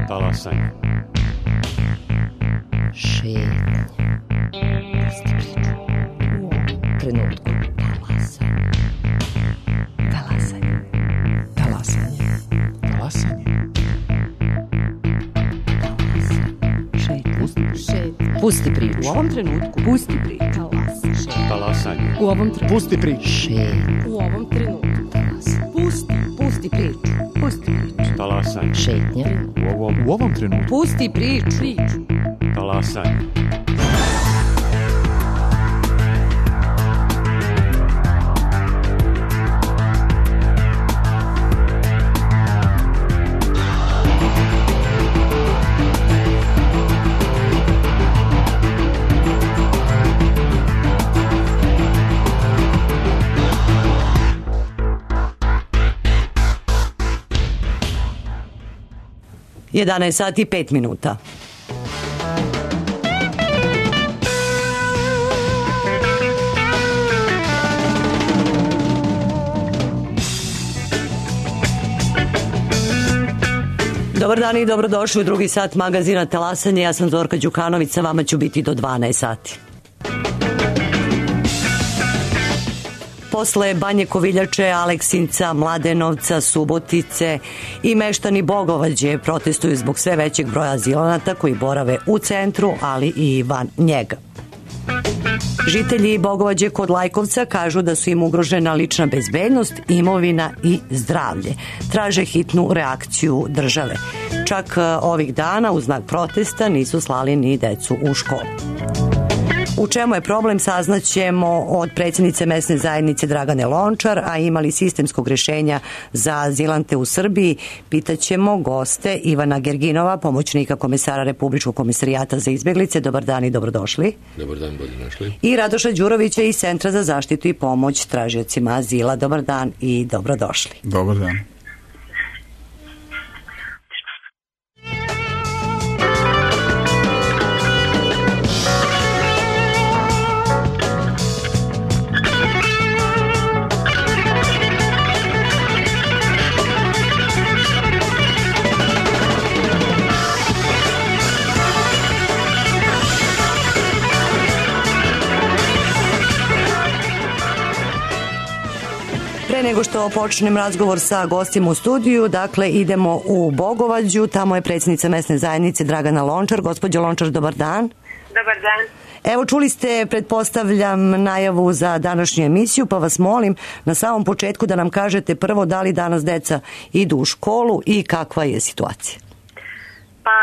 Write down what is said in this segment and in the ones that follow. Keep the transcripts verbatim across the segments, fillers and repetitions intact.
Talasanje. Šetnje. Pusti priču. U ovom trenutku. Talasanje. Talasanje. Talasanje. Talasanje. Šetnje. Pusti priču. U ovom trenutku. Pusti priču. Talasanje. U ovom trenutku. Pusti priču. Šetnje. U ovom trenutku. Pusti. Pusti priču. Pusti priču. Talasanje. Šetnje. U ovom, U ovom trenutku. Pusti priču. Priču. talasanje. jedanaest sati i pet minuta. Dobar dan i dobrodošli u drugi sat magazina Talasanje. Ja sam Zorka Đukanović, sa vama ću biti do dvanaest sati. Posle Banje Koviljače, Aleksinca, Mladenovca, Subotice i meštani Bogovađe protestuju zbog sve većeg broja azilanata koji borave u centru, ali i van njega. Žitelji Bogovađe kod Lajkovca kažu da su im ugrožena lična bezbednost, imovina i zdravlje. Traže hitnu reakciju države. Čak ovih dana u znak protesta nisu slali ni decu u školu. U čemu je problem saznaćemo od predsjednice mesne zajednice Dragane Lončar, a imali sistemskog rješenja za azilante u Srbiji, pitaćemo goste Ivana Gerginova, pomoćnika komesara Republičkog komisarijata za izbjeglice. Dobar dan i dobrodošli. Dobar dan, bolje našli. I Radoša Đurovića iz Centra za zaštitu i pomoć tražiocima azila. Dobar dan i dobrodošli. Dobar dan. Pre nego što počnem razgovor sa gostima u studiju, dakle idemo u Bogovađu, tamo je predsjednica mesne zajednice Dragana Lončar. Gospođo Lončar, dobar dan. Dobar dan. Evo, čuli ste, pretpostavljam, najavu za današnju emisiju, pa vas molim na samom početku da nam kažete prvo da li danas deca idu u školu i kakva je situacija. Pa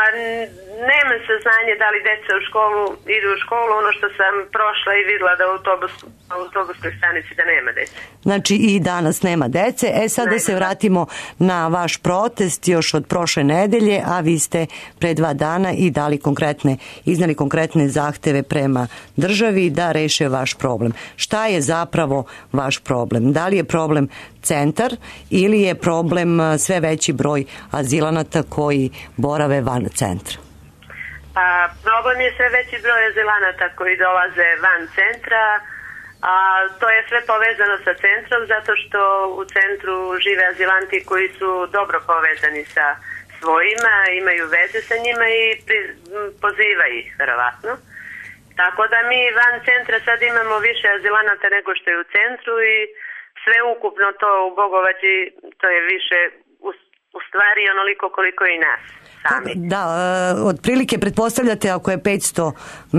nemam saznanje da li deca u školu idu u školu, ono što sam prošla i vidjela da u autobus, autobuskoj stanici da nema dece. Znači i danas nema dece. E sad da se vratimo na vaš protest još od prošle nedelje, a vi ste pre dva dana i dali konkretne, iznali konkretne zahteve prema državi da reše vaš problem. Šta je zapravo vaš problem? Da li je problem centar ili je problem sve veći broj azilanata koji borave van centra? Pa problem je sve veći broj azilanata koji dolaze van centra, a to je sve povezano sa centrom zato što u centru žive azilanti koji su dobro povezani sa svojima, imaju veze sa njima i poziva ih, verovatno. Tako da mi van centra sad imamo više azilanata nego što je u centru i sve ukupno to u Bogovađi, to je više u, u stvari onoliko koliko i nas sami. Da, e, otprilike pretpostavljate ako je petsto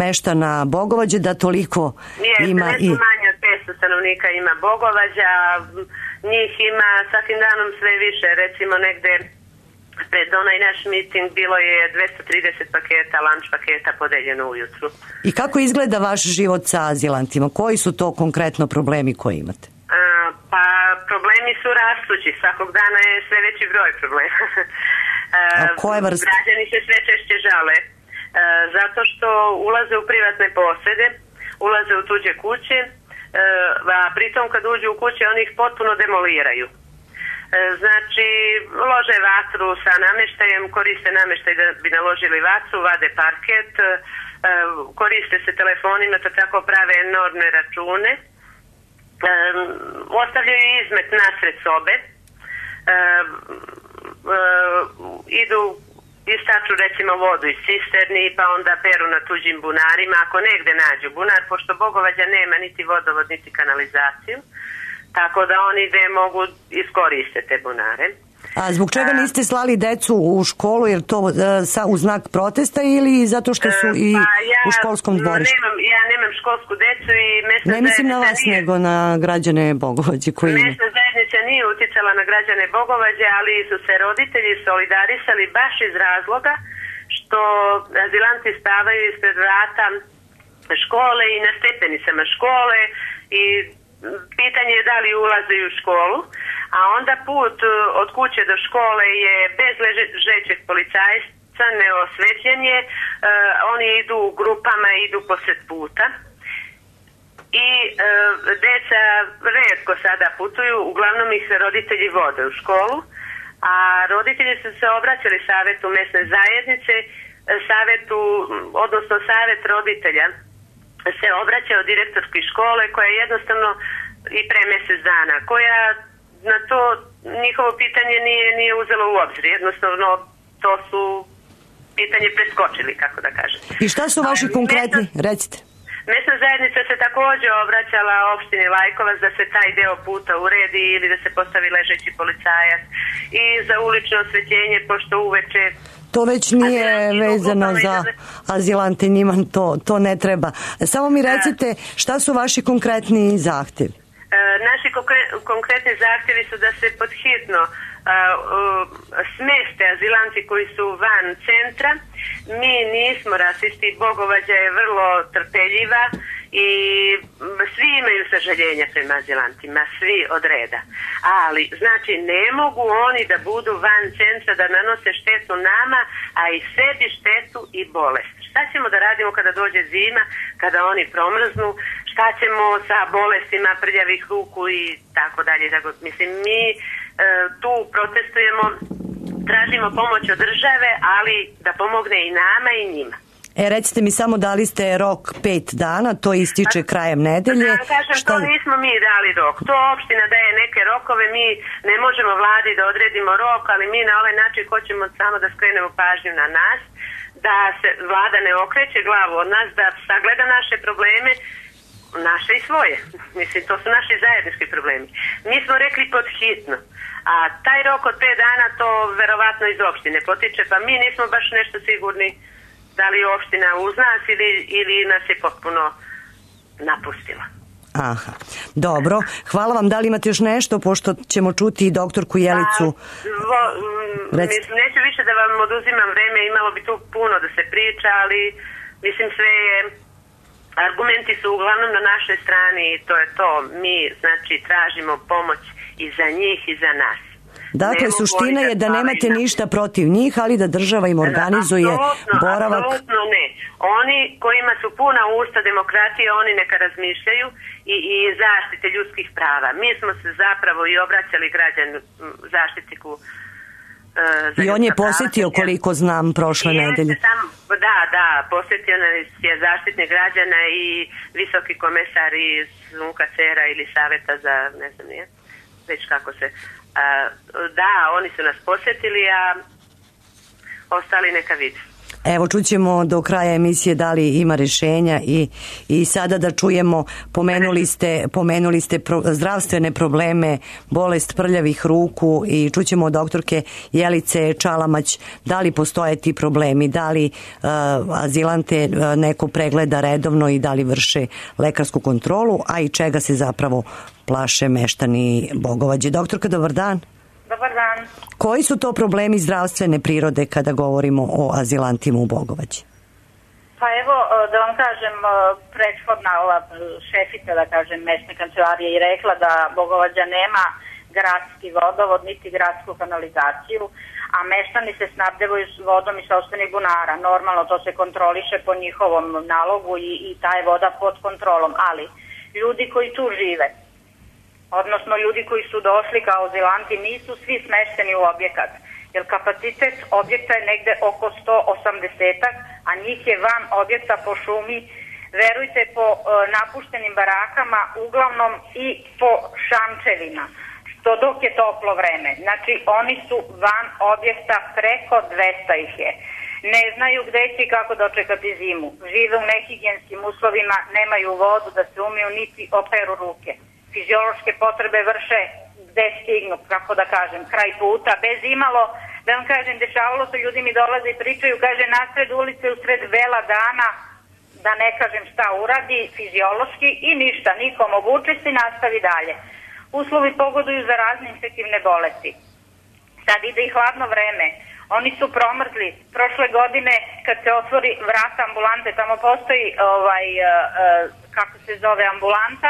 meštana Bogovađe da toliko Nije, ima i... manje od petsto stanovnika ima Bogovađa, njih ima svakim danom sve više, recimo negde pred onaj naš miting bilo je dvesta trideset paketa, lunch paketa podeljeno ujutru. I kako izgleda vaš život sa azilantima? Koji su to konkretno problemi koje imate? A, pa problemi su rastući, svakog dana je sve veći broj problema. A koje vrste? Građani se sve češće žale, a, zato što ulaze u privatne posede, ulaze u tuđe kuće, a pritom kad uđu u kuće oni ih potpuno demoliraju. Znači, lože vatru sa namještajem, koriste namještaj da bi naložili vatru, vade parket, koriste se telefonima, to tako prave enormne račune, ostavljaju izmet nasred sobe, idu istaču recimo vodu iz cisterni pa onda peru na tuđim bunarima ako negde nađu bunar, pošto Bogovađa nema niti vodovod niti kanalizaciju, tako da oni gde mogu iskoriste te bunare. A zbog čega niste slali decu u školu, jer to uh, sa, u znak protesta ili zato što su i pa ja, u školskom dvorištu? Nemam, ja nemam školsku decu i mesna ne mislim na vas, nije, nego na građane Bogovađe koji ima. Mesna zajednica nije uticala na građane Bogovađe, ali su se roditelji solidarisali baš iz razloga što azilanti spavaju ispred vrata škole i na stepenicama škole i pitanje je da li ulaze u školu, a onda put od kuće do škole je bez ležećeg policajca, neosvetljen je, uh, oni idu u grupama, idu posred puta i uh, deca retko sada putuju, uglavnom ih se roditelji vode u školu, a roditelji su se obraćali savetu mesne zajednice, savetu, odnosno savet roditelja se obraćao direktorski škole koja jednostavno i pre mjesec dana, koja na to njihovo pitanje nije, nije uzelo u obzir. Jednostavno to su pitanje preskočili, kako da kažem. I šta su vaši konkretni? Mesna, Recite. Mesna zajednica se također obraćala opštini Lajkovac da se taj deo puta uredi ili da se postavi ležeći policajac i za ulično osvetljenje, pošto uveče to već nije vezano za azilante, njima to, to ne treba. Samo mi recite šta su vaši konkretni zahtjevi? E, naši konkretni zahtjevi su da se podhitno a, a, smeste azilanti koji su van centra. Mi nismo rasisti, Bogovađa je vrlo trpeljiva i svi imaju sažaljenja prema azilantima, svi od reda. Ali, znači, ne mogu oni da budu van centra, da nanose štetu nama, a i sebi štetu i bolest. Šta ćemo da radimo kada dođe zima, kada oni promrznu, šta ćemo sa bolestima prljavih ruku i tako dalje. Tako, mislim, mi e, tu protestujemo, tražimo pomoć od države, ali da pomogne i nama i njima. E, recite mi samo, dali ste rok pet dana, to ističe krajem nedelje. Da, kažem, šta... to nismo mi dali rok. To opština daje neke rokove, mi ne možemo vladi da odredimo rok, ali mi na ovaj način hoćemo samo da skrenemo pažnju na nas, da se vlada ne okreće glavu od nas, da sagleda naše probleme, naše i svoje. Mislim, to su naši zajednički problemi. Mi smo rekli pod hitno, a taj rok od pet dana to verovatno iz opštine potiče, pa mi nismo baš nešto sigurni da li je opština uz nas ili, ili nas je potpuno napustila. Aha, dobro. Hvala vam. Da li imate još nešto, pošto ćemo čuti i doktorku Jelicu? A, vo, mislim, neću više da vam oduzimam vreme, imalo bi tu puno da se priča, ali mislim sve je, argumenti su uglavnom na našoj strani i to je to. Mi, znači, tražimo pomoć i za njih i za nas. Dakle, suština je da nemate ništa protiv njih, ali da država im organizuje apsolutno, boravak. Apsolutno ne. Oni kojima su puna usta demokratije, oni neka razmišljaju i, i zaštite ljudskih prava. Mi smo se zapravo i obraćali građanu zaštitniku uh, i on je posjetio, koliko znam, prošle nedelje. Sam, da, da, posjetio je zaštitnik građana i visoki komesar iz U N K C R-a ili Saveta za, ne znam nije, već kako se... Uh, da, oni su nas posjetili, a ostali neka vidi. Evo, čućemo do kraja emisije da li ima rješenja i, i sada da čujemo, pomenuli ste, pomenuli ste pro, zdravstvene probleme, bolest prljavih ruku i čućemo od doktorke Jelice Čalamać da li postoje ti problemi, da li uh, azilante uh, neko pregleda redovno i da li vrše lekarsku kontrolu, a i čega se zapravo plaše meštani Bogovađe. Doktorka, dobar dan. Dobar dan. Koji su to problemi zdravstvene prirode kada govorimo o azilantima u Bogovađi? Pa evo, da vam kažem, prethodna ova šefica, da kažem, mesne kancelarije je rekla da Bogovađa nema gradski vodovod, niti gradsku kanalizaciju, a meštani se snabdevaju s vodom iz sopstvenih bunara. Normalno, to se kontroliše po njihovom nalogu i, i ta je voda pod kontrolom, ali ljudi koji tu žive, odnosno ljudi koji su došli kao azilanti, nisu svi smešteni u objekat, jer kapacitet objekta je negde oko sto osamdeset, a njih je van objekta po šumi, verujte, po e, napuštenim barakama, uglavnom i po šančevima, to dok je toplo vreme. Znači, oni su van objekta, preko dvesta ih je. Ne znaju gde će i kako dočekati zimu. Žive u nehigijenskim uslovima, nemaju vodu da se umiju niti operu ruke. Fiziološke potrebe vrše gde stignu, kako da kažem, kraj puta, bez imalo, da vam kažem, dešavalo se, ljudi mi dolaze i pričaju, kaže, nasred ulice, usred vela dana, da ne kažem šta uradi fiziološki i ništa, nikom obuče se i nastavi dalje. Uslovi pogoduju za razne infektivne bolesti. Sad ide i hladno vreme. Oni su promrzli. Prošle godine kad se otvori vrata ambulante, tamo postoji ovaj, uh, uh, kako se zove ambulanta,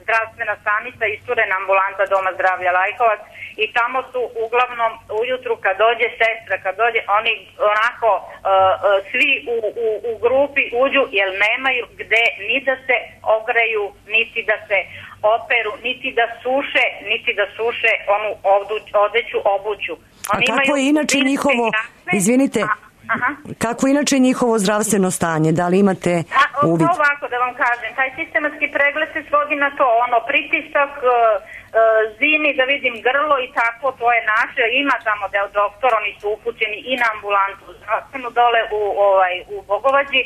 zdravstvena stanica, isturena ambulanta Doma zdravlja Lajkovac i tamo su uglavnom ujutru kad dođe sestra, kad dođe, oni onako uh, uh, svi u, u, u grupi uđu jer nemaju gde ni da se ogreju, niti da se operu, niti da suše, niti da suše onu odeću, obuću. Oni a kako je inače njihovo, izvinite, a, aha. kako je inače njihovo zdravstveno stanje? Da li imate uvid? A, ovako da vam kažem, taj sistematski pregled se svodi na to, ono, pritisak, uh, zimi, da vidim grlo i tako, to je naše, ima tamo deo doktor, oni su upućeni i na ambulantu zdravstvenu dole u, ovaj, u Bogovađi,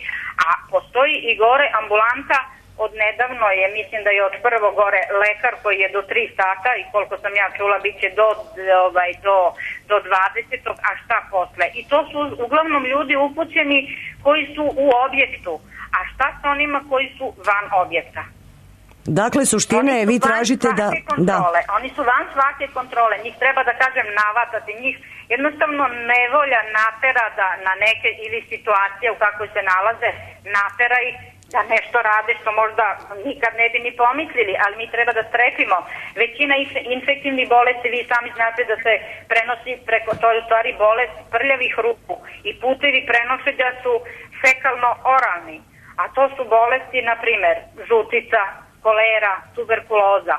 a postoji i gore ambulanta. Od nedavno je, mislim da je od prvo gore lekar koji je do tri sata i koliko sam ja čula bit će do, ovaj, do, do dvadesetog a šta posle. I to su uglavnom ljudi upućeni koji su u objektu. A šta sa onima koji su van objekta? Dakle, suština je, vi tražite da... da. Oni su van svake kontrole. Njih treba, da kažem, navatati. Njih jednostavno nevolja natera da na neke ili situacije u kakvoj se nalaze, natera ih da nešto rade što možda nikad ne bi ni pomislili, ali mi treba da strepimo. Većina infektivnih bolesti, vi sami znate da se prenosi preko, to je u stvari bolest prljavih ruku i putevi prenošenja su fekalno-oralni, a to su bolesti, na primer, žutica, kolera, tuberkuloza,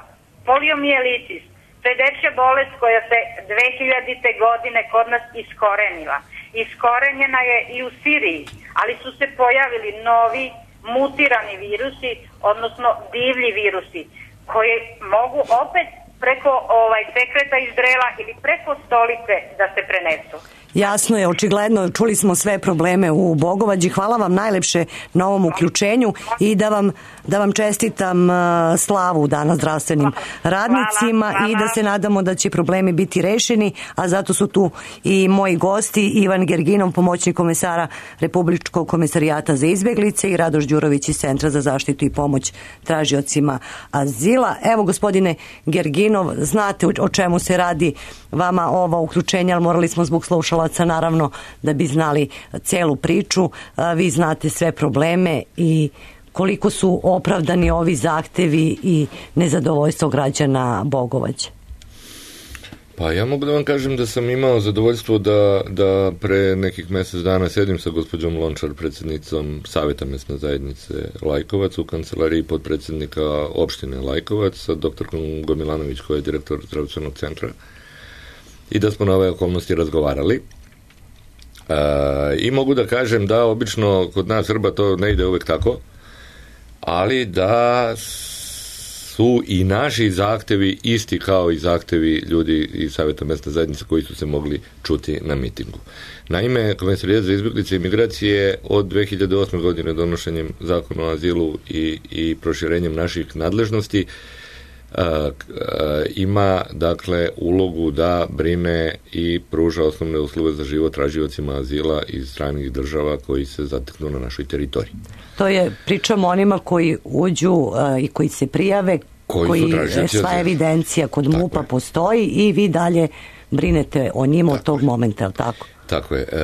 poliomijelitis. To je dečja bolest koja se dve hiljadite godine kod nas iskorenila. Iskorenjena je i u Siriji, ali su se pojavili novi mutirani virusi, odnosno divlji virusi, koji mogu opet preko ovaj, sekreta iz drela ili preko stolice da se prenesu. Jasno je, očigledno, čuli smo sve probleme u Bogovađi. Hvala vam najlepše na ovom uključenju i da vam, da vam čestitam slavu danas zdravstvenim radnicima hvala, hvala. I da se nadamo da će problemi biti rešeni, a zato su tu i moji gosti, Ivan Gerginov, pomoćnik komesara Republičkog komesarijata za izbeglice i Radoš Đurović iz Centra za zaštitu i pomoć tražiocima azila. Evo, gospodine Gerginov, znate o čemu se radi vama ova uključenja, ali morali smo zbog slušalaca naravno da bi znali celu priču. Vi znate sve probleme i koliko su opravdani ovi zahtevi i nezadovoljstvo građana Bogovađe. Pa ja mogu da vam kažem da sam imao zadovoljstvo da, da pre nekih mesec dana sedim sa gospođom Lončar, predsjednicom Saveta mesne zajednice Lajkovac u kancelariji podpredsjednika opštine Lajkovac sa doktorkom Gomilanović koja je direktor zdravstvenog centra i da smo na ove okolnosti razgovarali. E, I mogu da kažem da obično kod nas Srba to ne ide uvek tako, ali da su i naši zahtevi isti kao i zahtevi ljudi iz Saveta mesne zajednice koji su se mogli čuti na mitingu. Naime, Komesarijat za izbeglice i migracije od dve hiljade osme godine donošenjem zakona o azilu i, i proširenjem naših nadležnosti Uh, uh, ima dakle ulogu da brine i pruža osnovne uslove za život tražiocima azila iz stranih država koji se zateknu na našoj teritoriji. To je, pričamo onima koji uđu uh, i koji se prijave, koji, koji sva evidencija kod MUP-a postoji i vi dalje brinete o njima od tog momenta, je li tako? Tako je. E,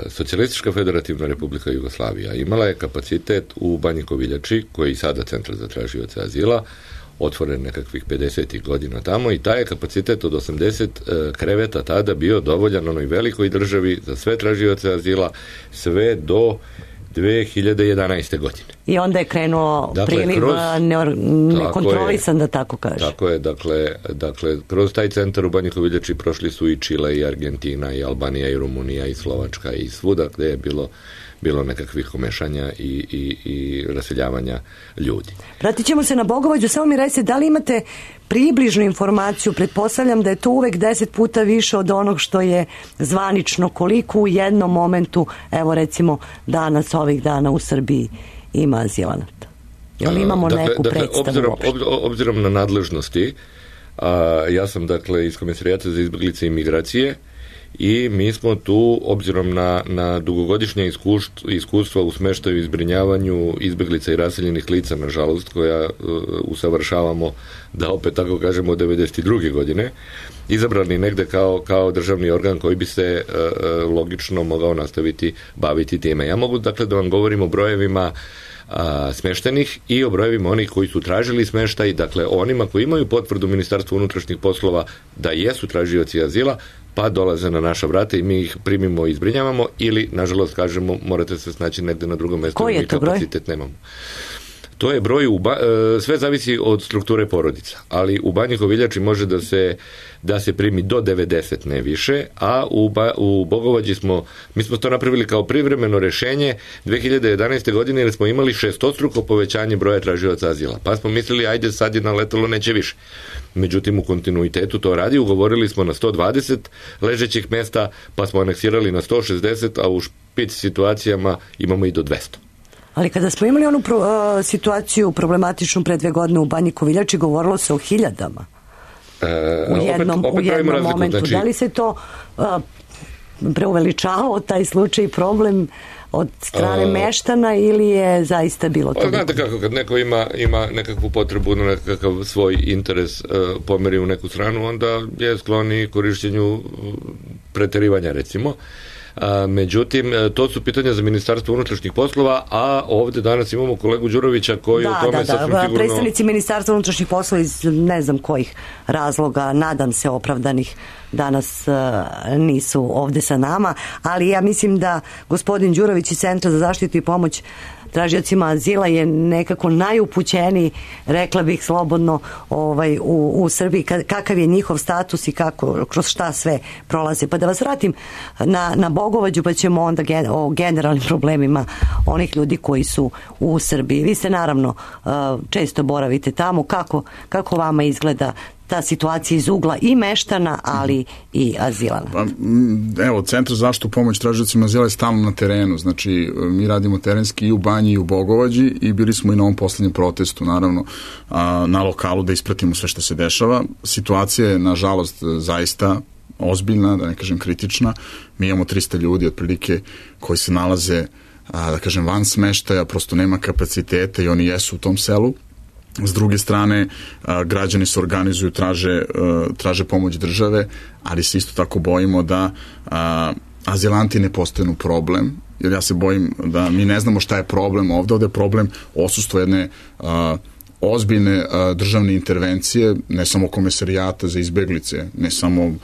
Socijalistička federativna republika Jugoslavija imala je kapacitet u Banji Koviljači, koji je sada centar za tražioce azila, otvoren nekakvih pedesetih godina tamo i taj je kapacitet od osamdeset e, kreveta tada bio dovoljan onoj velikoj državi za sve tražioce azila sve do dve hiljade jedanaeste godine. I onda je krenuo dakle, priliv kroz, nekontrolisan, da tako kaže. Tako je, dakle, dakle, kroz taj centar u Banji Koviljači prošli su i Čile i Argentina i Albanija i Rumunija i Slovačka i svuda gde je bilo bilo nekakvih komešanja i, i, i raseljavanja ljudi. Vratit ćemo se na Bogovađu, samo mi recite, da li imate približnu informaciju, pretpostavljam da je to uvek deset puta više od onog što je zvanično, koliko u jednom momentu, evo recimo danas, ovih dana u Srbiji ima azilanata? Jel imamo dakle, neku dakle, predstavu obzirom, uopšte? obzirom na nadležnosti, a, ja sam dakle iz Komesarijata za izbeglice i migracije i mi smo tu, obzirom na, na dugogodišnje iskustva, iskustva u smeštaju i zbrinjavanju izbeglica i raseljenih lica, nažalost, koja uh, usavršavamo, da opet tako kažemo, od devedeset druge godine, izabrani negde kao, kao državni organ koji bi se uh, logično mogao nastaviti baviti time. Ja mogu dakle da vam govorim o brojevima a, smeštenih i o brojevima onih koji su tražili smeštaj, dakle onima koji imaju potvrdu Ministarstva unutrašnjih poslova da jesu tražioci azila, pa dolaze na naša vrata i mi ih primimo i zbrinjavamo, ili, nažalost, kažemo, morate se snaći negde na drugom mestu. Koji je to broj? Kapacitet nemamo. To je broj, u ba, sve zavisi od strukture porodica, ali u Banji Koviljači može da se, da se primi do devedeset, ne više, a u, ba, u Bogovađi smo, mi smo to napravili kao privremeno rešenje dve hiljade jedanaeste. godine, jer smo imali šestostruko povećanje broja tražioca azila, pa smo mislili, ajde, sad je naletalo, neće više. Međutim, u kontinuitetu to radi, ugovorili smo na sto dvadeset ležećih mesta, pa smo aneksirali na sto šezdeset, a u špic situacijama imamo i do dvesta. Ali kada smo imali onu pro, uh, situaciju problematičnu pre dve godine u Banji Koviljači, govorilo se o hiljadama. E, u jednom, opet, opet u jednom razliku, momentu. Znači, da li se to uh, preuveličavao, taj slučaj, problem od strane a, meštana, ili je zaista bilo to? Znate kako, kad neko ima, ima nekakvu potrebu na nekakav svoj interes uh, pomeri u neku stranu, onda je skloni korišćenju preterivanja, recimo. A, međutim, to su pitanja za Ministarstvo unutrašnjih poslova, a ovde danas imamo kolegu Đurovića koji da, o tome da, sasvim da, sigurno... predstavnici Ministarstva unutrašnjih poslova iz ne znam kojih razloga, nadam se opravdanih, danas uh, nisu ovde sa nama, ali ja mislim da gospodin Đurović iz Centra za zaštitu i pomoć tražiocima azila je nekako najupućeniji, rekla bih slobodno, ovaj, u, u Srbiji, kakav je njihov status i kako, kroz šta sve prolaze. Pa da vas vratim na, na Bogovađu, pa ćemo onda gen, o generalnim problemima onih ljudi koji su u Srbiji. Vi ste naravno često boravite tamo. Kako, kako vama izgleda ta situacija iz ugla i meštana, ali i azilana? Pa, evo, Centar za zaštitu pomoć tražiocima azila je stalno na terenu, znači mi radimo terenski i u Banji i u Bogovađi i bili smo i na ovom poslednjem protestu, naravno, na lokalu da ispratimo sve što se dešava. Situacija je, nažalost, zaista ozbiljna, da ne kažem kritična. Mi imamo trista ljudi otprilike koji se nalaze, da kažem, van smeštaja, prosto nema kapaciteta i oni jesu u tom selu. S druge strane, građani se organizuju, traže, traže pomoć države, ali se isto tako bojimo da azilanti ne postanu problem, jer ja se bojim da mi ne znamo šta je problem ovde. Ovde je problem odsustvo jedne ozbiljne državne intervencije, ne samo Komesarijata za izbeglice, ne samo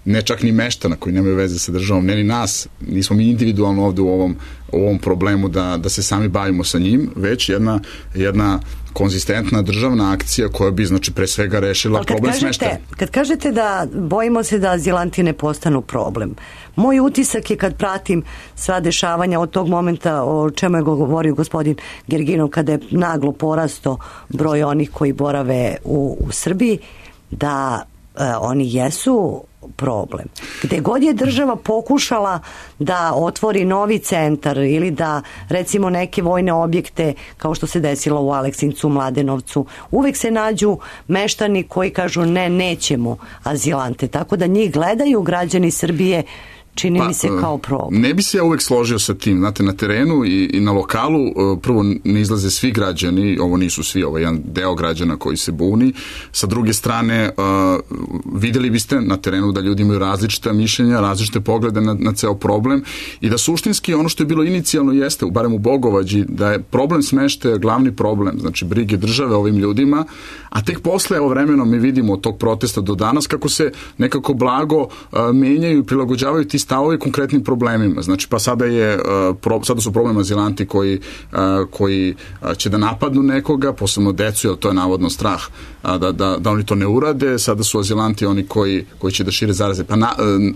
ne čak ni meštana koji nemaju veze sa državom, ne ni nas, nismo mi individualno ovde u ovom, u ovom problemu da, da se sami bavimo sa njim, već jedna, jedna konzistentna državna akcija koja bi, znači, pre svega rešila problem smeštaja. Kad kažete da bojimo se da azilanti ne postanu problem, moj utisak je kad pratim sva dešavanja od tog momenta o čemu je govorio gospodin Gerginov, kada je naglo porasto broj onih koji borave u, u Srbiji, da e, oni jesu problem. Gde god je država pokušala da otvori novi centar ili da, recimo, neke vojne objekte, kao što se desilo u Aleksincu, Mladenovcu, uvek se nađu meštani koji kažu ne, nećemo azilante. Tako da njih gledaju građani Srbije, čini pa, mi se, kao problem. Ne bi se ja uvek složio sa tim. Znate, na terenu i, i na lokalu prvo ne izlaze svi građani, ovo nisu svi, ovo je jedan deo građana koji se buni. Sa druge strane, uh, videli biste na terenu da ljudi imaju različita mišljenja, različite poglede na, na ceo problem i da suštinski ono što je bilo inicijalno jeste, barem u Bogovađi, da je problem smeštaja glavni problem, znači brige države ovim ljudima, a tek posle, evo vremenom mi vidimo od tog protesta do danas kako se nekako blago uh, menjaju i prilagođavaju ti stavovi konkretnim problemima. Znači, pa sada, je, pro, sada su problem azilanti koji, koji će da napadnu nekoga, posebno decu, jer to je navodno strah da, da, da oni to ne urade. Sada su azilanti oni koji, koji će da šire zaraze. Pa na,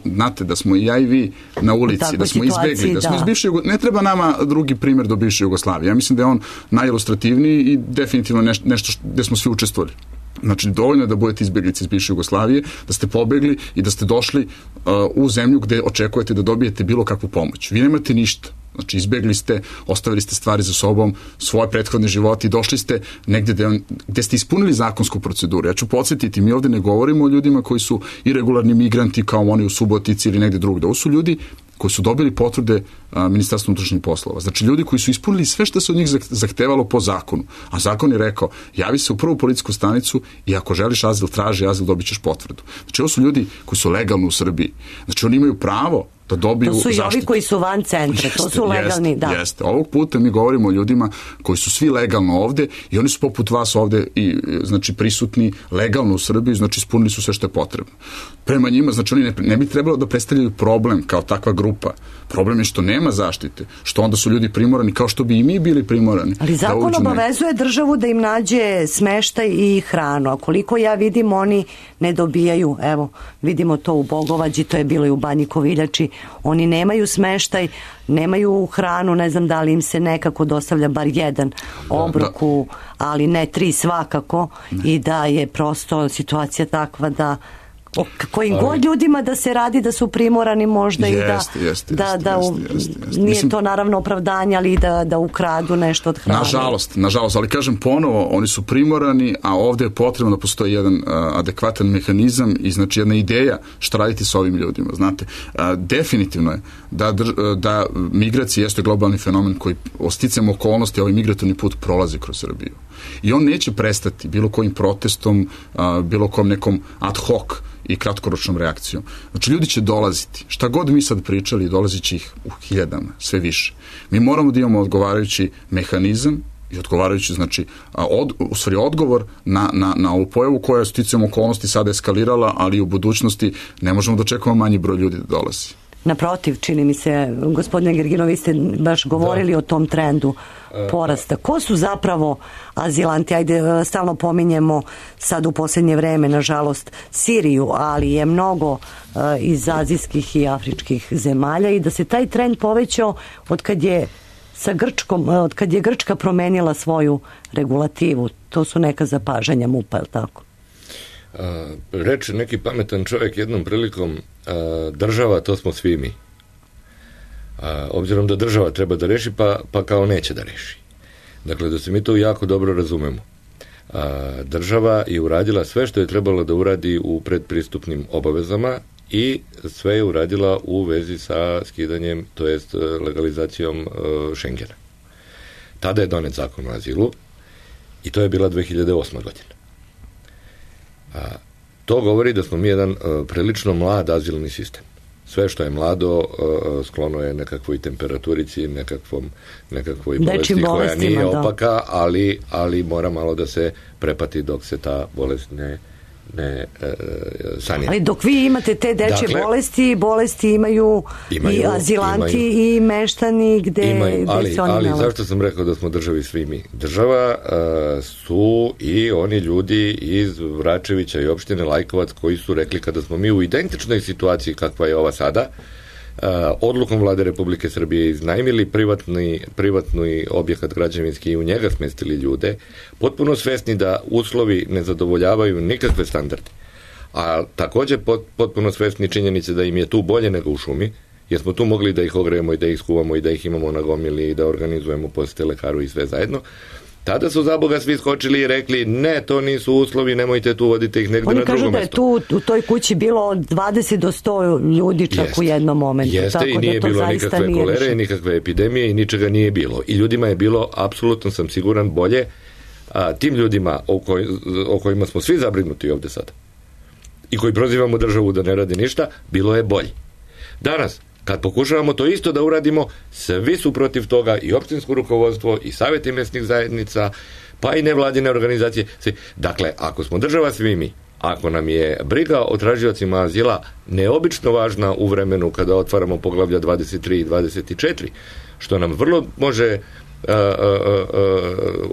znate da smo i ja i vi na ulici, da smo izbegli, da smo iz bivše Jugoslavije. Ne treba nama drugi primjer do bivše Jugoslavije. Ja mislim da je on najilustrativniji i definitivno nešto, nešto gde smo svi učestvovali. Znači, dovoljno je da budete izbjeglice iz bivše Jugoslavije, da ste pobegli i da ste došli uh, u zemlju gde očekujete da dobijete bilo kakvu pomoć. Vi nemate ništa. Znači, izbjegli ste, ostavili ste stvari za sobom, svoje prethodne živote i došli ste negde gde, gde ste ispunili zakonsku proceduru. Ja ću podsjetiti, mi ovde ne govorimo o ljudima koji su irregularni migranti kao oni u Subotici ili negde drugde. Ovo su ljudi koji su dobili potvrde a, Ministarstva unutrašnjih poslova. Znači, ljudi koji su ispunili sve što se od njih zahtevalo po zakonu. A zakon je rekao, javi se u prvu policijsku stanicu i ako želiš azil, traži azil, dobit ćeš potvrdu. Znači, ovo su ljudi koji su legalni u Srbiji. Znači, oni imaju pravo da dobiju zaštitu. To su i ovi koji su van centra, jeste, to su legalni, jeste, da. Jeste. Ovog puta mi govorimo o ljudima koji su svi legalno ovde i oni su poput vas ovde i, znači, prisutni legalno u Srbiji, znači ispunili su sve što je potrebno. Prema njima, znači oni ne, ne bi trebalo da predstavljaju problem kao takva grupa. Problem je što nema zaštite, što onda su ljudi primorani kao što bi i mi bili primorani. Ali zakon obavezuje državu da im nađe smeštaj i hranu, a koliko ja vidim oni ne dobijaju, evo vidimo to u Bogovađi, to je bilo i u Banji Koviljači, oni nemaju smeštaj, nemaju hranu, ne znam da li im se nekako dostavlja bar jedan obrok, u, ali ne tri svakako, ne. I da je prosto situacija takva da o kojim ali, god ljudima da se radi da su primorani možda jest, i da, jest, da, jest, da u, jest, jest, jest. Nije Mislim, to naravno opravdanje, ali da, da ukradu nešto od hrane. Nažalost, nažalost, ali kažem ponovo, oni su primorani, a ovde je potrebno da postoji jedan uh, adekvatan mehanizam i znači jedna ideja šta raditi sa ovim ljudima, znate. Uh, definitivno je da, da migracija jeste globalni fenomen koji osticajem okolnosti ovaj migratorni put prolazi kroz Srbiju. I on neće prestati bilo kojim protestom, uh, bilo kojim nekom ad hoc i kratkoročnom reakcijom. Znači, ljudi će dolaziti. Šta god mi sad pričali, dolazit će ih u hiljadama, sve više. Mi moramo da imamo odgovarajući mehanizam i odgovarajući, znači, od, u stvari odgovor na, na, na ovu pojavu koja je sticajem okolnosti sada eskalirala, ali u budućnosti ne možemo da očekujemo manji broj ljudi da dolazi. Naprotiv, čini mi se, gospodine Grgino, vi ste baš govorili da. o tom trendu porasta. Ko su zapravo azilanti? Ajde, stalno pominjemo sad u posljednje vreme, nažalost, Siriju, ali je mnogo uh, iz azijskih i afričkih zemalja i da se taj trend povećao od kad je sa Grčkom, od kad je Grčka promenila svoju regulativu. To su neka zapažanja MUP-a, je li tako? A, reče neki pametan čovjek jednom prilikom, a, država, to smo svi mi. A, obzirom da država treba da reši, pa, pa kao neće da reši. Dakle, da se mi to jako dobro razumemo. A, država je uradila sve što je trebalo da uradi u predpristupnim obavezama i sve je uradila u vezi sa skidanjem, to jest legalizacijom uh, Schengena. Tada je donet zakon o azilu i to je bila dve hiljade osma godina. A, to govori da smo mi jedan uh, prilično mlad azilni sistem. Sve što je mlado uh, sklono je nekakvoj temperaturici, nekakvom, nekakvoj bolesti koja nije opaka, ali, ali mora malo da se prepati dok se ta bolest ne ne e, sanira. Ali dok vi imate te dečje dakle, bolesti, bolesti imaju, imaju i azilanti imaju, i meštani gde, imaju, gde ali, se oni ali nalaze. Zašto sam rekao da smo državi svi mi? Država uh, su i oni ljudi iz Vračevića i opštine Lajkovac koji su rekli kada smo mi u identičnoj situaciji kakva je ova sada, Uh, odlukom Vlade Republike Srbije iznajmili privatni, privatni objekat građevinski i u njega smestili ljude, potpuno svesni da uslovi ne zadovoljavaju nikakve standarde. A također pot, potpuno svesni činjenice da im je tu bolje nego u šumi, jer smo tu mogli da ih ogrejemo i da ih skuvamo i da ih imamo na gomili i da organizujemo posete lekaru i sve zajedno. Tada su za Boga svi skočili i rekli ne, to nisu uslovi, nemojte tu, vodite ih negde Oni na drugo mesto. Oni kažu da je tu u toj kući bilo od dvadeset do sto ljudi čak jeste, u jednom momentu. Jeste tako i nije da bilo nikakve nije kolere, više. Nikakve epidemije i ničega nije bilo. I ljudima je bilo, apsolutno sam siguran, bolje, a tim ljudima o, koj, o kojima smo svi zabrinuti ovde sada i koji prozivamo državu da ne radi ništa, bilo je bolje. Danas, kad pokušavamo to isto da uradimo, svi su protiv toga, i opštinsko rukovodstvo, i savjeti mesnih zajednica, pa i nevladine organizacije. Dakle, ako smo država svi mi, ako nam je briga o tražiocima azila neobično važna u vremenu kada otvaramo poglavlja dvadeset tri i dvadeset četiri, što nam vrlo može a, a, a, a,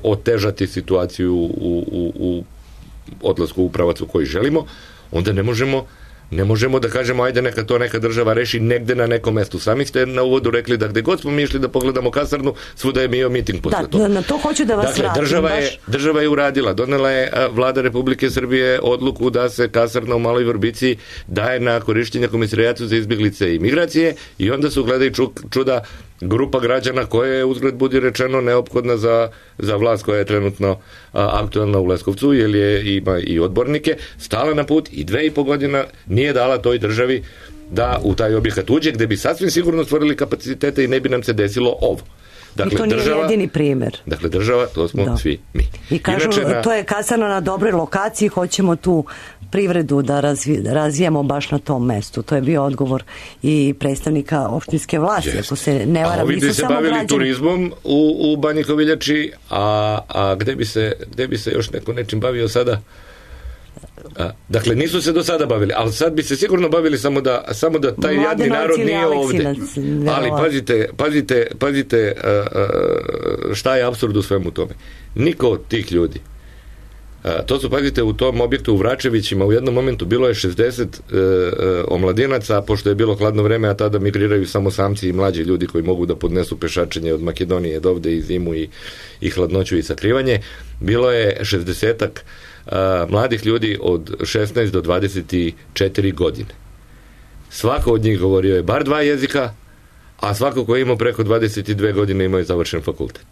otežati situaciju u, u, u odlasku u pravac u koji želimo, onda ne možemo Ne možemo da kažemo, ajde neka to neka država reši negde na nekom mestu. Sami ste na uvodu rekli da gde god smo mi išli da pogledamo kasarnu, svuda je bio miting posle da, toga. Na to hoću da vas dakle, vratim. Država baš... je, država je uradila, donela je Vlada Republike Srbije odluku da se kasarna u Maloj Vrbici daje na korišćenje Komesarijatu za izbjeglice i migracije i onda su, gledaj čuda, grupa građana koja je, uzgled budi rečeno, neophodna za, za vlast koja je trenutno a, aktualna u Leskovcu, jer je, ima i odbornike, stala na put i dve i po godina nije dala toj državi da u taj objekat uđe, gde bi sasvim sigurno stvorili kapacitete i ne bi nam se desilo ovo. Dakle, I to nije država, jedini primer. Dakle, država, to smo da. svi mi. I kažu, Inače, na... to je kasarna na dobroj lokaciji, hoćemo tu privredu da razvi, razvijemo baš na tom mestu. To je bio odgovor i predstavnika opštinske vlasti, Jest. ako se ne varam. A ovi bi se bavili građani. Turizmom u, u Banji Koviljači, a, a gde, bi se, gde bi se još neko nečim bavio sada? A, dakle, nisu se do sada bavili, ali sad bi se sigurno bavili samo da, samo da taj Mladenovac jadni narod nije ovde. Verovatno. Ali pazite, pazite, pazite a, a, šta je apsurd u svemu tome. Niko od tih ljudi, a, to su, pazite, u tom objektu u Vračevićima u jednom momentu bilo je šezdeset e, e, omladinaca, pošto je bilo hladno vreme, a tada migriraju samo samci i mlađi ljudi koji mogu da podnesu pešačenje od Makedonije do ovde i zimu i, i hladnoću i sakrivanje. Bilo je šezdesetak Uh, mladih ljudi od šesnaest do dvadeset četiri godine. Svako od njih govorio je bar dva jezika, a svako ko je imao preko dvadeset dve godine imao je završen fakultet.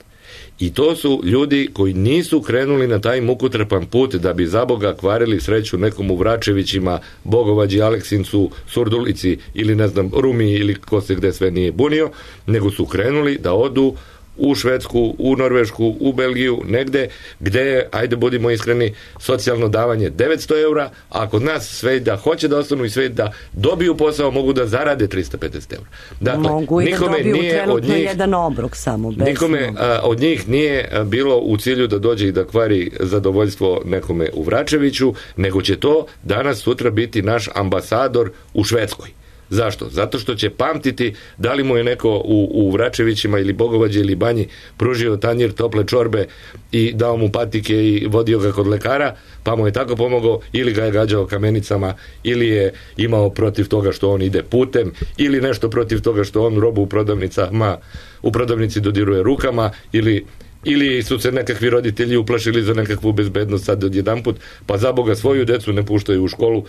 I to su ljudi koji nisu krenuli na taj mukotrpan put da bi za Boga kvarili sreću nekom u Vračevićima, Bogovađi, Aleksincu, Surdulici ili ne znam, Rumi ili ko se gde sve nije bunio, nego su krenuli da odu u Švedsku, u Norvešku, u Belgiju, negde gde je, ajde budimo iskreni, socijalno davanje devetsto eura, a kod nas sve da hoće da ostanu i sve da dobiju posao mogu da zarade trista pedeset eura. Dakle, mogu i da dobiju trenutno od njih, jedan obrok samo. Bez nikome a, od njih nije bilo u cilju da dođe i da kvari zadovoljstvo nekome u Vračeviću, nego će to danas sutra biti naš ambasador u Švedskoj. Zašto? Zato što će pamtiti da li mu je neko u, u Vračevićima ili Bogovađe ili Banji pružio tanjir tople čorbe i dao mu patike i vodio ga kod lekara, pa mu je tako pomogao, ili ga je gađao kamenicama, ili je imao protiv toga što on ide putem, ili nešto protiv toga što on robu u prodavnicama, u prodavnici dodiruje rukama, ili ili su se nekakvi roditelji uplašili za nekakvu bezbednost sad odjedanput, pa za Boga svoju decu ne puštaju u školu.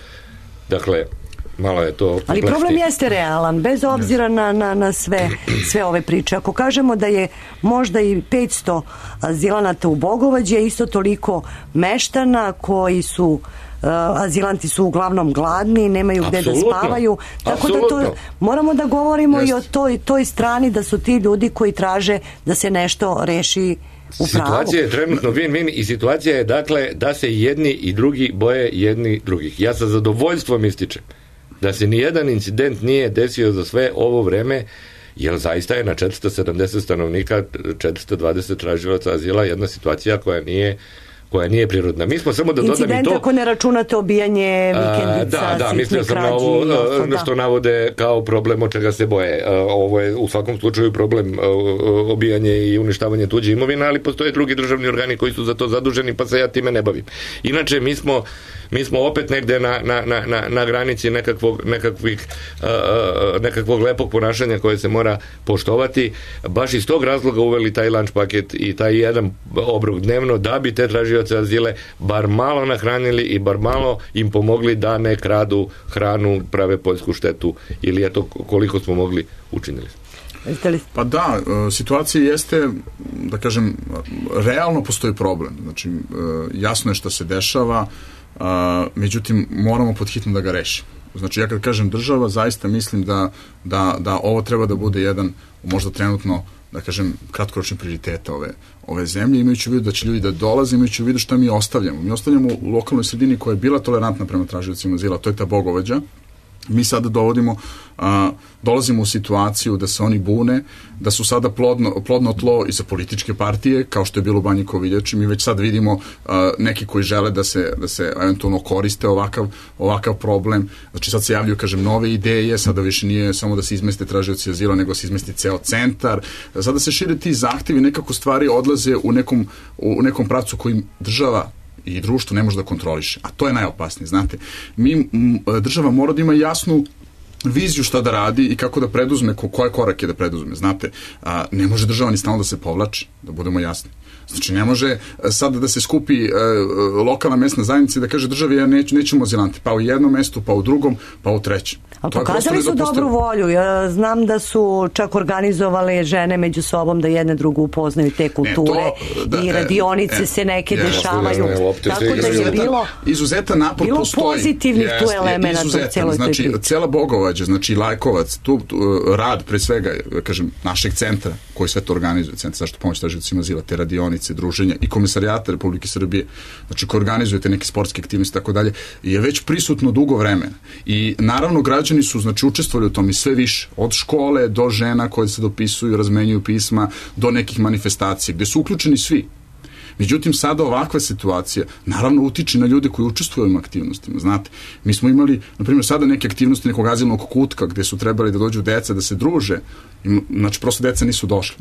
Dakle, malo je to ali plešti. problem jeste realan, bez obzira na, na, na sve, sve ove priče. Ako kažemo da je možda i petsto azilanata u Bogovađe, isto toliko meštana koji su uh, azilanti su uglavnom gladni, nemaju gde da spavaju, tako Absolutno. Da to moramo da govorimo Jest. I o toj, toj strani da su ti ljudi koji traže da se nešto reši u pravu. Situacija je trenutno win-win i situacija je dakle da se jedni i drugi boje jedni drugih. Ja sa zadovoljstvom ističem da se ni jedan incident nije desio za sve ovo vreme, jer zaista je na četiristo sedamdeset stanovnika, četiristo dvadeset tražilaca azila jedna situacija koja nije koja nije prirodna. Mi smo samo da dodam i to... Incident ako ne računate obijanje vikendica, a, da, da, mislio sam na ovo da. Što navode kao problem od čega se boje. A, ovo je u svakom slučaju problem a, obijanje i uništavanje tuđe imovine, ali postoje drugi državni organi koji su za to zaduženi, pa se ja time ne bavim. Inače, mi smo mi smo opet negde na, na, na, na granici nekakvog, nekakvih, uh, nekakvog lepog ponašanja koje se mora poštovati. Baš iz tog razloga uveli taj lunch paket i taj jedan obrok dnevno da bi te tražioce azile bar malo nahranili i bar malo im pomogli da ne kradu hranu, prave poljsku štetu ili eto koliko smo mogli učinili. Pa da, situacija jeste, da kažem, realno postoji problem. Znači, jasno je šta se dešava, Uh, međutim, moramo pod hitno da ga rešimo. Znači, ja kad kažem država, zaista mislim da, da, da ovo treba da bude jedan, možda trenutno, da kažem, kratkoročni prioriteta ove, ove zemlje, imajući u vidu da će ljudi da dolaze, imajući u vidu šta mi ostavljamo. Mi ostavljamo u lokalnoj sredini koja je bila tolerantna prema tražiocima azila, to je ta Bogovađa, mi sada dovodimo, a, dolazimo u situaciju da se oni bune, da su sada plodno, plodno tlo i za političke partije, kao što je bilo u Banji Koviljači. Mi već sad vidimo a, neki koji žele da se, da se eventualno koriste ovakav, ovakav problem. Znači sad se javljaju, kažem, nove ideje, sada više nije samo da se izmeste tražioci azila, nego se izmesti ceo centar. Sada se šire ti zahtevi, nekako stvari odlaze u nekom, u nekom pravcu kojim država i društvo ne može da kontroliše. A to je najopasnije, znate. Mi, država mora da ima jasnu viziju šta da radi i kako da preduzme, ko, koje korake da preduzme, znate. A, ne može država ni stalno da se povlači, da budemo jasni. Znači, ne može sada da se skupi e, lokalna mesna zajednica i da kaže državi, ja neću, nećemo azilante, pa u jednom mestu, pa u drugom, pa u trećem. A pokazali su dobru volju. Ja znam da su čak organizovale žene među sobom da jedne drugu upoznaju te kulture ne, to, da, i radionice e, se neke je, dešavaju. Je, tako da je bilo izuzetan napor bilo postoji. pozitivnih jest, tu elemenata u celoj znači, toj priči. Cela Bogovađa, znači Lajkovac, tu, tu rad pre svega, kažem, našeg centra koji sve to organizuje, Centar zaštitu pomoći tražiocima azila, te radionice, druženja i Komisarijata Republike Srbije, znači koji organizujete neke sportske aktivnosti tako dalje, je već prisutno dugo vremena. I naravno građani su znači učestvovali u tom i sve više, od škole do žena koje se dopisuju, razmenjuju pisma, do nekih manifestacija, gde su uključeni svi. Međutim, sada ovakva situacija naravno utiče na ljude koji učestvuju u ovim aktivnostima. Znate, mi smo imali, na primjer, sada neke aktivnosti nekog azilnog kutka gde su trebali da dođu deca, da se druže, i, znači prosto deca nisu došli.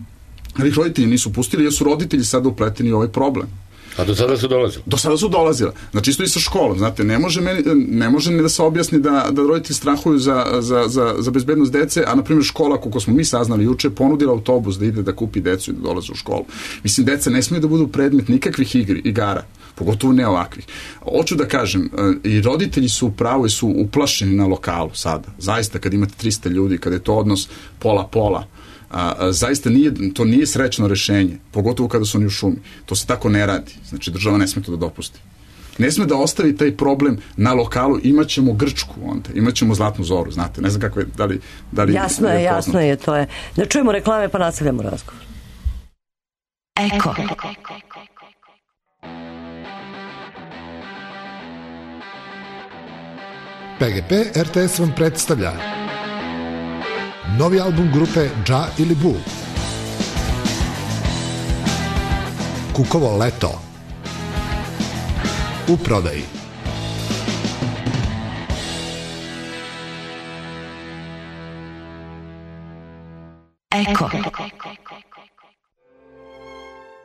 Ali ih roditelji nisu pustili, jer su roditelji sada upleteni u ovaj problem. A do sada su dolazili? Do sada su dolazila. Znači isto i sa školom, znate, ne može, meni, ne može ni da se objasni da, da roditelji strahuju za, za, za, za bezbednost dece, a na primjer škola, koliko smo mi saznali juče, ponudila autobus da ide da kupi decu i da dolaze u školu. Mislim, deca ne smiju da budu predmet nikakvih igri, igara, pogotovo ne ovakvih. Hoću da kažem, i roditelji su upravo i su uplašeni na lokalu sada. Zaista, kad imate trista ljudi, kad je to odnos pola-pola, A, a, zaista nije, to nije srećno rešenje, pogotovo kada su oni u šumi. To se tako ne radi. Znači, država ne sme to da dopusti. Ne sme da ostavi taj problem na lokalu, imaćemo Grčku onda, imaćemo Zlatnu zoru, znate, ne znam kako je, da li... Da li jasno je, je jasno je, to je. Da čujemo reklame pa nastavljamo razgovor. Eko. P G P R T S vam predstavlja novi album grupe Dža ili Bu. Kukovo leto. U prodaji. Eko.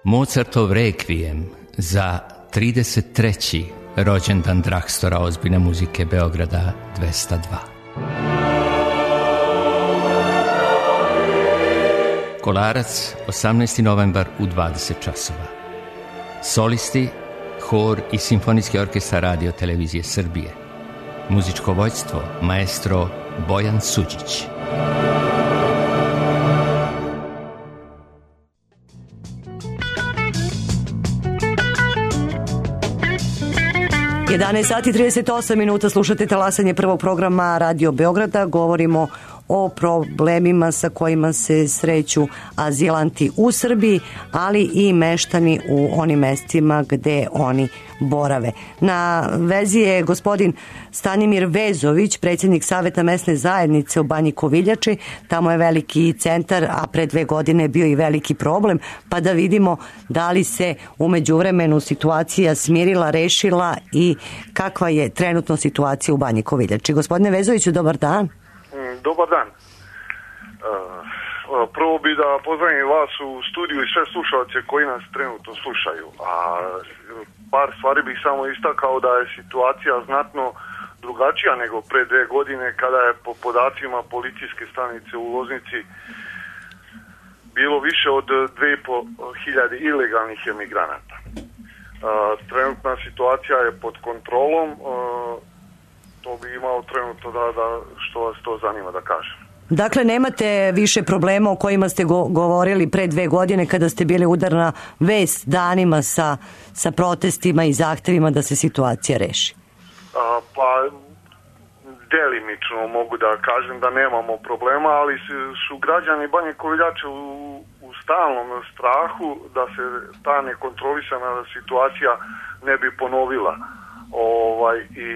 Mozartov rekvijem za trideset treći rođendan Drakstora ozbiljne muzike Beograda dvesta dva. Kolarac, osamnaesti novembar u dvadeset časova. Solisti, hor i simfonijski orkestar Radio Televizije Srbije. Muzičko vođstvo, maestro Bojan Suđić. jedanaest sati i trideset osam minuta, slušate talasanje prvog programa Radio Beograda. Govorimo o problemima sa kojima se sreću azilanti u Srbiji, ali i meštani u onim mestima gde oni borave. Na vezi je gospodin Stanimir Vezović, predsjednik Saveta mesne zajednice u Banji Koviljači. Tamo je veliki centar, a pre dve godine je bio i veliki problem, pa da vidimo da li se u međuvremenu situacija smirila, rešila i kakva je trenutno situacija u Banji Koviljači. Gospodine Vezoviću, dobar dan. Dobar dan. Prvo bi da pozdravim vas u studiju i sve slušalce koji nas trenutno slušaju. A par stvari bih samo istakao da je situacija znatno drugačija nego pre dve godine kada je po podacima policijske stanice u Loznici bilo više od dve i po hiljade ilegalnih emigranata. Trenutna situacija je pod kontrolom. To bi imao trenutno da, da što vas to zanima da kažem. Dakle, nemate više problema o kojima ste go- govorili pre dve godine kada ste bili udarna vest danima sa, sa protestima i zahtevima da se situacija reši? A, pa, delimično mogu da kažem da nemamo problema, ali su građani Banje Koviljače u, u stalnom strahu da se ta nekontrolisana situacija ne bi ponovila. Ovaj, i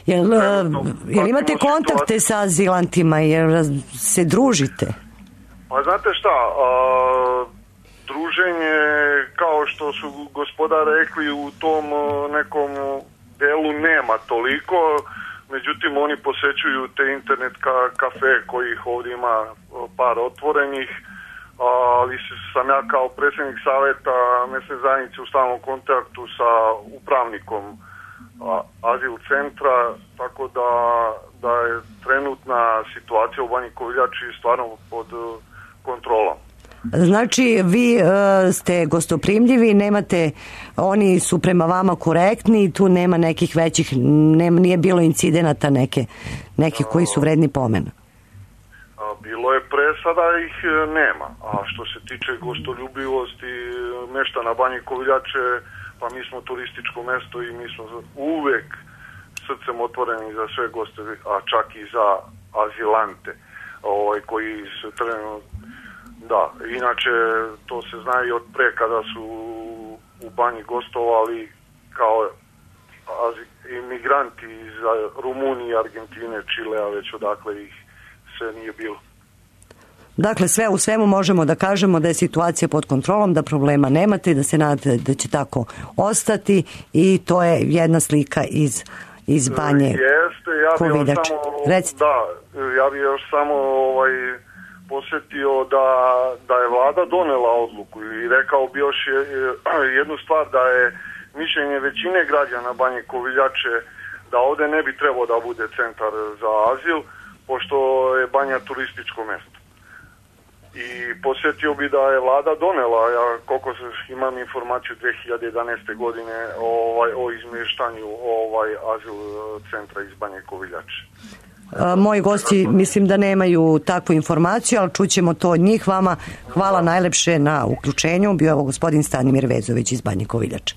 Jel, jel imate kontakte sa azilantima, jel se družite? Pa znate šta, a, druženje, kao što su gospoda rekli, u tom nekom delu nema toliko, međutim oni posećuju te internet ka, kafe kojih ovdje ima par otvorenih, ali sam ja kao predsjednik savjeta mesne zajednice u stalnom kontaktu sa upravnikom azil centra, tako da, da je trenutna situacija u Banji Koviljači stvarno pod kontrolom. Znači, vi uh, ste gostoprimljivi, nemate, oni su prema vama korektni, tu nema nekih većih, nema, nije bilo incidenata neke, nekih koji su vredni pomena. Bilo je pre, sada ih nema. A što se tiče gostoljubivosti meštana Banje Koviljače, pa mi smo turističko mesto i mi smo uvek srcem otvoreni za sve goste, a čak i za azilante ovaj, koji se trenutno. Da, inače to se zna i od pre kada su u Banji gostovali kao imigranti iz Rumunije, Argentine, Čilea, već odakle ih sve nije bilo. Dakle, sve u svemu možemo da kažemo da je situacija pod kontrolom, da problema nemate i da se nadate da će tako ostati i to je jedna slika iz, iz Banje Jeste, ja bih Koviljače. Samo, da, ja bih još samo ovaj, posjetio da, da je vlada donela odluku i rekao bi još jednu stvar, da je mišljenje većine građana Banje Koviljače da ovdje ne bi trebao da bude centar za azil, pošto je Banja turističko mjesto. I posjetio bi da je vlada donela, ja koliko imam informaciju dvije hiljade jedanaeste godine ovaj, o izmještanju ovaj, azil centra iz Banje Koviljače. A, moji gosti mislim da nemaju takvu informaciju, ali čućemo to od njih. Vama hvala najlepše na uključenju. Bio je ovo gospodin Stanimir Vezović iz Banje Koviljače.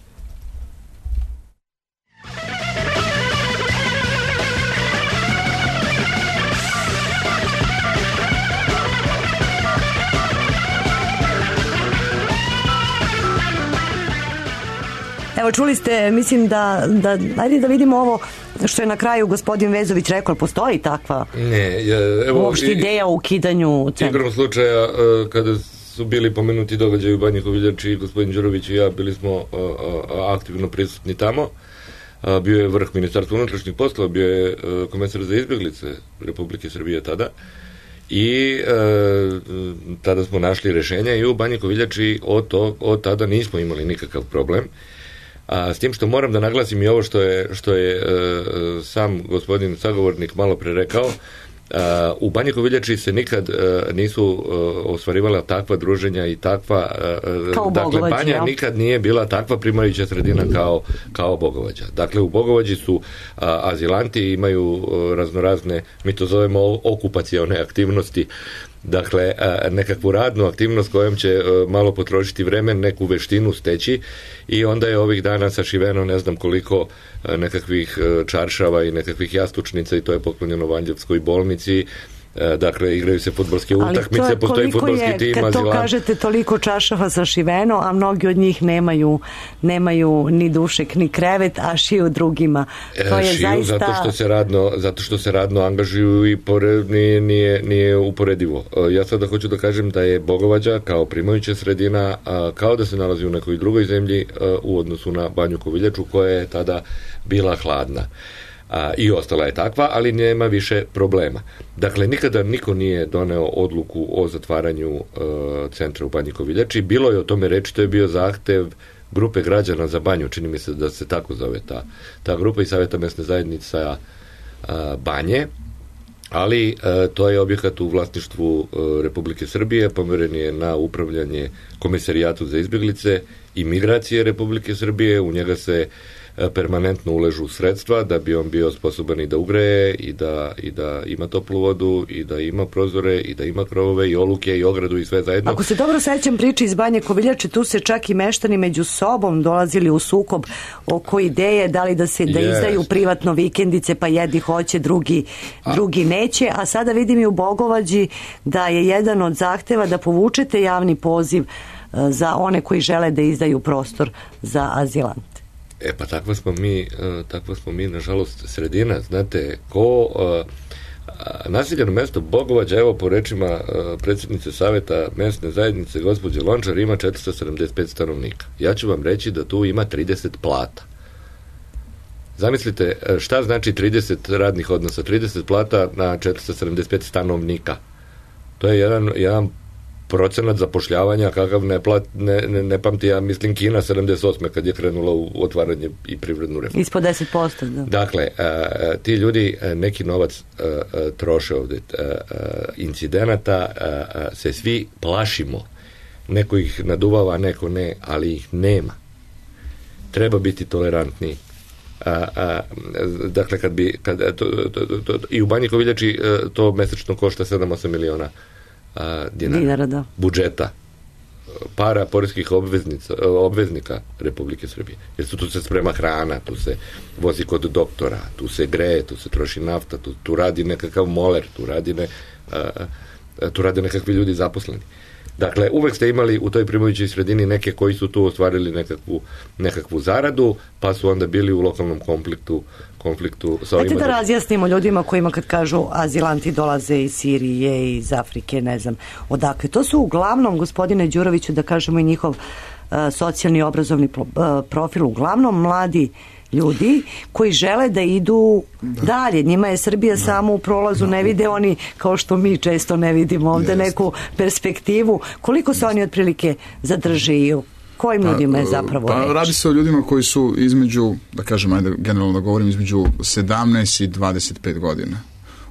Evo, čuli ste, mislim da, da, ajde da vidimo ovo što je na kraju gospodin Vezović rekao, postoji takva ne, evo, uopšte ideja o ukidanju centra? Igrom slučaja, kada su bili pomenuti događaji u Banji Koviljači, gospodin Đurović i ja bili smo aktivno prisutni tamo. Bio je vrh Ministarstva unutrašnjih poslova, bio je komesar za izbjeglice Republike Srbije tada. I e, tada smo našli rešenja i u Banji Koviljači od, to, od tada nismo imali nikakav problem. A s tim što moram da naglasim i ovo što je, što je e, sam gospodin sagovornik malo pre rekao, a, u Banji Koviljači se nikad a, nisu a, ostvarivala takva druženja i takva, a, dakle Banja ja. nikad nije bila takva primajuća sredina kao, kao Bogovađa. Dakle u Bogovađi su a, azilanti, imaju a, raznorazne, mi to zovemo okupacione aktivnosti, dakle nekakvu radnu aktivnost kojom će malo potrošiti vreme, neku veštinu steći i onda je ovih dana sašiveno ne znam koliko nekakvih čaršava i nekakvih jastučnica i to je poklonjeno Vanđevskoj bolnici. Dakle, igraju se fudbalske utakmice, postoji fudbalski tim. Kad to kažete, toliko čašava sašiveno, a mnogi od njih nemaju, nemaju ni dušek, ni krevet, a šiju drugima. To je šiju zaista... zato što se radno, zato što se radno angažuju i pored, nije, nije, nije uporedivo. Ja sada hoću da kažem da je Bogovađa kao primajuća sredina kao da se nalazi u nekoj drugoj zemlji u odnosu na Banju Koviljaču koja je tada bila hladna. A, i ostala je takva, ali nema više problema. Dakle, nikada niko nije doneo odluku o zatvaranju e, centra u Banji Koviljači. Bilo je o tome reči, to je bio zahtev grupe građana za Banju, čini mi se da se tako zove ta, ta grupa i Savjeta mesne zajednica a, Banje, ali a, to je objekat u vlasništvu a, Republike Srbije, pomeren je na upravljanje Komisarijatu za izbjeglice i migracije Republike Srbije, u njega se permanentno uležu sredstva da bi on bio sposoban i da ugreje i da, i da ima toplu vodu i da ima prozore i da ima krovove i oluke i ogradu i sve zajedno. Ako se dobro sećam priče iz Banje Koviljače, tu se čak i meštani među sobom dolazili u sukob oko ideje da li da se da yes. izdaju privatno vikendice, pa jedni hoće, drugi, a. drugi neće, a sada vidim i u Bogovađi da je jedan od zahteva da povučete javni poziv za one koji žele da izdaju prostor za azilante. E pa takva smo mi, uh, takva smo mi, nažalost, sredina. Znate, ko uh, naseljeno mesto Bogovađa, evo po rečima uh, predsjednice Saveta mesne zajednice, gospođe Lončar, ima četiristo sedamdeset pet stanovnika. Ja ću vam reći da tu ima trideset plata. Zamislite šta znači trideset radnih odnosa, trideset plata na četiristo sedamdeset pet stanovnika. To je jedan, jedan procenat zapošljavanja kakav ne, plat, ne, ne, ne pamti, ja mislim, Kina sedamdeset osme kad je krenula u otvaranje i privrednu reformu. Ispod deset posto, da. Dakle, a, a, ti ljudi a, neki novac a, a, troše ovde. A, a, incidenata a, a, se svi plašimo. Neko ih naduvava, neko ne, ali ih nema. Treba biti tolerantniji. A, a, dakle, kad bi kad, to, to, to, to, i u Banji Koviljači to mesečno košta sedam osam miliona a, dinara, dinara da. budžeta, para poreskih obveznica, obveznika Republike Srbije. Jer su, tu se sprema hrana, tu se vozi kod doktora, tu se greje, tu se troši nafta, tu, tu radi nekakav moler, tu radi, ne, a, a, tu rade nekakvi ljudi zaposleni. Dakle, uvek ste imali u toj Primovićoj sredini neke koji su tu ostvarili nekakvu, nekakvu zaradu, pa su onda bili u lokalnom konfliktu, konfliktu sa ovima. Ajde da razjasnimo ljudima kojima kad kažu azilanti dolaze iz Sirije, iz Afrike, ne znam odakle. To su uglavnom, gospodine Đuroviću, da kažemo i njihov uh, socijalni obrazovni uh, profil, uglavnom mladi ljudi koji žele da idu da. dalje. Njima je Srbija da. samo u prolazu, da. ne vide oni, kao što mi često ne vidimo ovde, Jest. neku perspektivu. Koliko se Jest. oni otprilike zadrže i kojim pa, ljudima je zapravo pa, reč? Radi se o ljudima koji su između, da kažem, ajde generalno da govorim, između sedamnaest i dvadeset pet godina